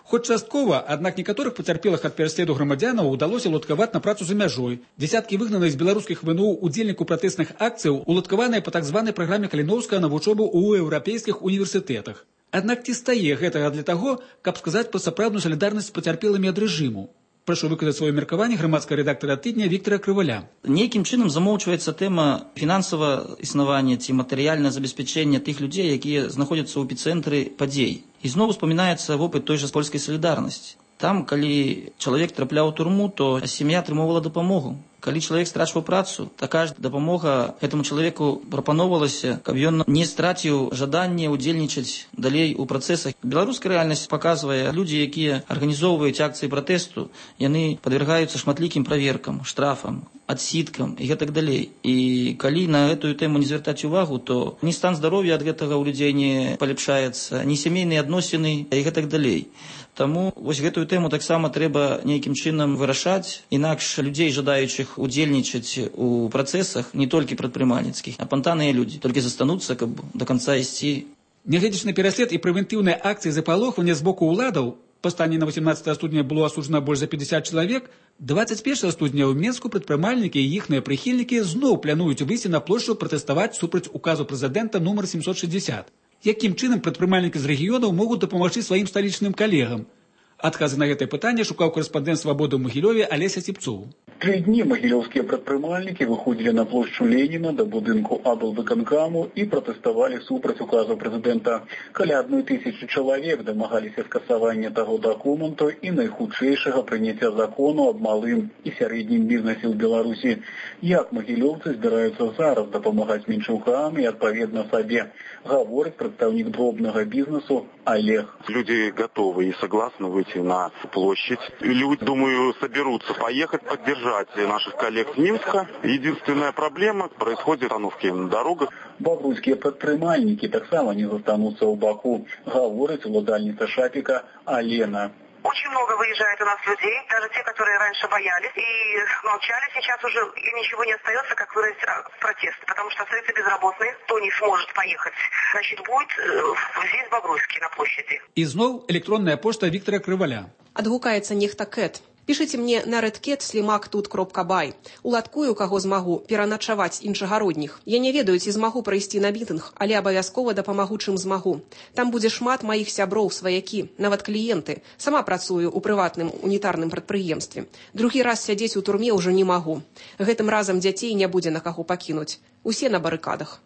Хоць часткова, аднак некаторых пацярпелых ад пераследу грамадзянаў удалося уладкаваць на працу за мяжой. Дзесяткі выгнаных з беларускіх ВНУ удзельнікаў пратэсных акцыяў уладкаваныя па так званай праграме Каліноўскага на вучобу ў еўрапейскіх універсітэтах. Аднак ці стае гэтага для таго, каб сказаць пра сапраўдную салідарнасць з пацярпелымі ад рэжыму? Прашу выказаць сваё меркаванне грамадскага рэдактара тыдня Віктора Крываля. Нейкім чынам замоўчваецца тэма фінансавага існавання ці матэрыяльнага забеспячэння тых людзей, якія знаходзяцца ў эпіцэнтры падзей. І зноў успамінаецца вопыт той жа польскай салідарнасці. Там, калі чалавек трапляў у турму, то сям'я атрымоўвала дапамогу. Калі чалавек страчваў працу, такая ж дапамога гэтаму чалавеку прапаноўвалася, каб ён не страціў жаданне ўдзельнічаць далей у працэсах. Беларуская рэальнасць паказвае, людзі, якія арганізоўваюць акцыі пратэсту, яны падвяргаюцца шматлікім праверкам, штрафам, адсідкам і гэтак далей. І калі на гэтую тэму не звяртаць увагу, то ні стан здароўя ад гэтага ў людзей не паляпшаецца, ні сямейныя адносіны і гэтак далей. Таму вось гэтую тэму таксама трэба нейкім чынам вырашаць, інакш людзей, жадаючых удзельнічаць у працэсах, не толькі прадпрымальніцкіх, а пантаныя людзі, толькі застануцца, каб до конца ісці. Нягледзячы на пераслед і прэвентыўныя акцыі запалохвання з боку ўладаў, па стане на 18 студня было асуджана больш за 50 чалавек, 21 студня ў Менску прадпрымальнікі і іхныя прыхільнікі зноў плануюць выйсці на плошчу пратэставаць супраць указу прэзідэнта нумар 760. Якім чынам прадпрымальнікі з рэгіёнаў могуць дапамагчы сваім сталічным калегам? Адказы на гэтае пытанне шукаў корэспандэнт «Свабоды» ў Магілёве Алеся Ціпцоў. 3 дні магілёўскія прадпрымальнікі выходзілі на плошчу Леніна да будынку аблвыканкаму і пратэставалі супраць указу прэзідэнта. Каля 1000 чалавек дамагаліся скасавання таго дакументу і найхутчэйшага прыняцця закону аб малым і сярэднім бізнесе ў Беларусі. Як магілёўцы збіраюцца зараз дапамагаць меншаўкам і адпаведна сабе, гаворыць прадстаўнік дробнага бізнесу Олег. Люди готовы и согласны выйти на площадь. Люди, думаю, соберутся поехать поддержать наших коллег с Минска. Единственная проблема – происходит остановки на дорогах. Бабруйскія прадпрымальнікі таксама не застануцца ў баку, гаворыць уладальніца Шапіка Алена. Очень много выезжает у нас людей, даже те, которые раньше боялись и молчали, сейчас уже им ничего не остается, как выразить протест, потому что остаются безработные, кто не сможет поехать, значит, будет здесь Бобруйский на площади. И зноў электронная пошта Виктора Крываля. Адгукаецца нехта Кэт. Пішыце мне на redcat@slimak.by. Уладкую, каго змагу, пераначаваць іншагародніх. Я не ведаю, ці змагу прайсці на мітынг, але абавязкова дапамагу, чым змагу. Там будзе шмат маіх сяброў, сваякі, нават кліенты. Сама працую ў прыватным унітарным прадпрыемстве. Другі раз сядзець у турме ўжо не магу. Гэтым разам дзяцей не будзе на каго пакінуць. Усе на барыкадах.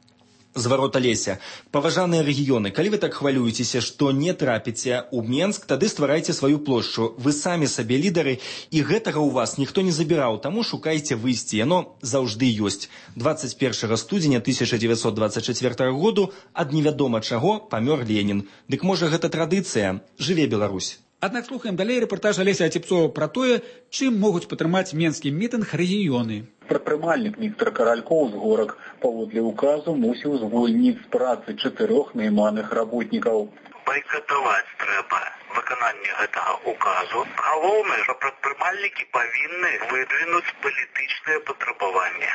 Зварот Алеся. Паважаныя рэгіёны, калі вы так хвалюецеся, што не трапіце ў Менск, тады стварайце сваю плошчу. Вы самі сабе лідары, і гэтага ў вас ніхто не забіраў, таму шукайце выйсці. Яно заўжды ёсць. 21 студзеня 1924 году ад невядома чаго памёр Ленін. Дык можа гэта традыцыя? Жыве Беларусь! Аднак слухаем далей рэпартаж Алеся Ціпцова пра тое, чым могуць падтрымаць менскі мітынг рэгіёны. Прадпрымальнік Віктор Каралькоў з Горак паводле указу мусіў звольніць з працы 4 найманых работнікаў. Байкатаваць трэба выкананне гэтага указу. Галоўнае, што прадпрымальнікі павінны выдвінуць палітычныя патрабаванні.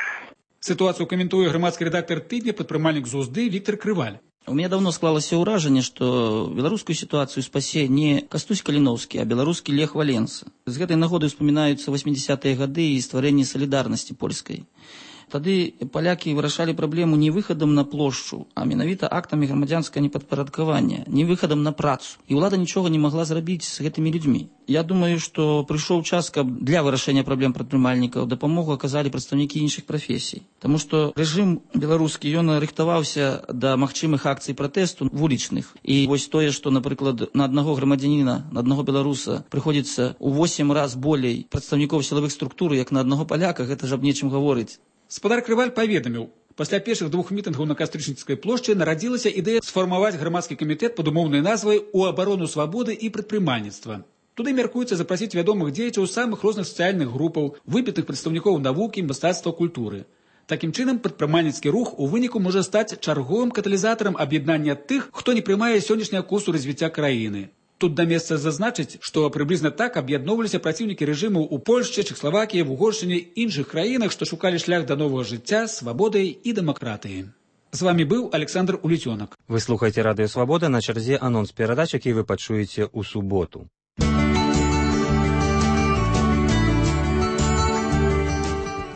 Ситуацию комментует громадский редактор «Тыдня», подпрымальник ЗУЗДы Виктор Крываль. У меня давно склалось ўражанне, што беларускую ситуацию спасе не Кастусь Каліноўскі, а беларускі Лех Валенса. З гэтай нагоды ўспамінаюцца 80-е гады і стварэнне салідарнасці польскай. Тады палякі вырашалі праблему не выхадам на плошчу, а менавіта актамі грамадзянскага непадпарадкавання, не выхадам на працу. І ўлада нічога не магла зрабіць з гэтымі людзьмі. Я думаю, што прыйшоў час, каб для вырашэння праблем прадпрымальнікаў дапамогу аказалі прадстаўнікі іншых прафесій. Таму што рэжым беларускі, ён рыхтаваўся да магчымых акцый пратэсту вулічных. І вось тое, што, напрыклад, на аднаго грамадзяніна, на аднаго беларуса прыходзіцца ў 8 раз болей прадстаўнікоў сілавых структур, як на аднаго паляка, гэта ж аб нечым гаворыць. Спадар Крываль паведаміў, пасля першых 2 мітынгаў на Кастрычніцкай плошчы нарадзілася ідэя сфармаваць грамадскі камітэт пад умоўнай назвай «У абарону свабоды і прадпрымальніцтва». Туды мяркуецца запрасіць вядомых дзеячаў самых розных сацыяльных групаў, выбітых прадстаўнікоў навукі, мастацтва, культуры. Такім чынам, прадпрымальніцкі рух у выніку можа стаць чарговым каталізатарам аб'яднання тых, хто не прымае сённяшняга курсу развіцця краіны. Тут да месца зазначыць, што прыблізна так аб'ядноўваліся праціўнікі рэжыму ў Польшчы, Чэхаславакіі, Угоршчыне і іншых краінах, што шукалі шлях да новага жыцця, свабоды і дэмакратыі. З вамі быў Александр Уліцёнак. Вы слухаеце радыё Свабода, на чарзе анонс перадач, які вы пачуеце ў суботу.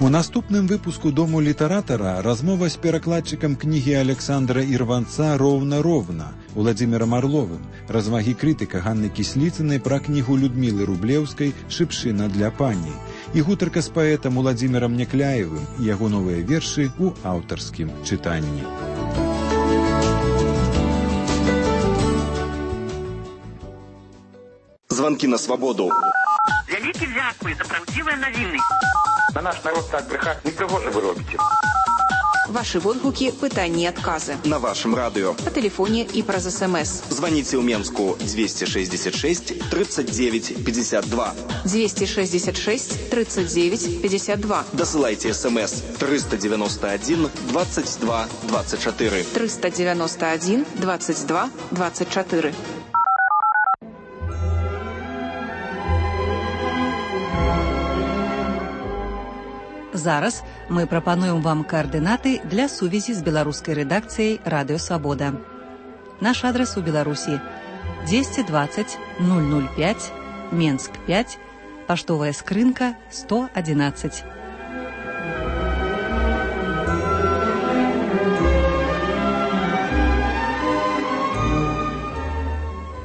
У наступным выпуску «Дому літаратара» размова з перакладчыкам кнігі Александра Ірванца «Роўна-роўна» Уладзімірам Арловым, развагі крытыка Ганны Кісліцынай пра кнігу Людмілы Рублеўскай «Шыпшына для пані» і гутарка з паэтам Уладзімірам Някляевым і яго новыя вершы ў аўтарскім чытанні. Званкі на свабоду. Вялікі дзякуй за правдзівыя навіны. На наш народ так брехать не пригоже вы робите. Ваши водгуки, пытанні і адказы. На вашем радыё. Па тэлефоне і праз СМС. Звоните ў Менску 266 39 52. 266 39 52. Досылайте СМС 391 22 24. 391 22 24. Зараз мы прапануем вам каардынаты для сувязі з беларускай рэдакцыяй «Радыё Свабода». Наш адрес у Беларуси 220 005, Менск 5, поштовая скрынка 111.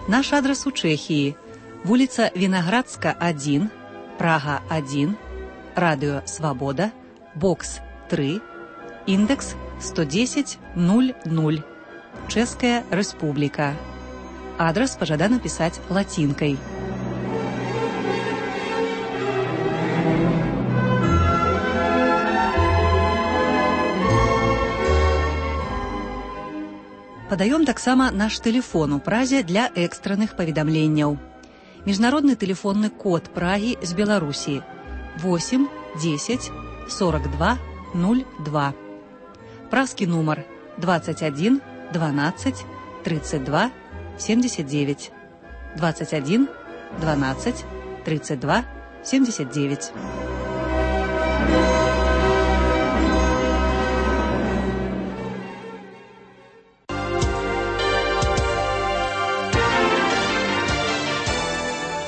Наш адрес у Чехии. Улица Виноградска, 1, Прага, 1, Радио Свобода, бокс 3, индекс 110 00, Чешская Республика. Адрес пожадано писать латинкой. Падаём таксама наш тэлефон у Празе для экстранных паведамленняў. Міжнародны тэлефонны код Прагі з Беларусі 8 10 42 02. Празкі нумар 21 12 32 79. 21 12 32 79.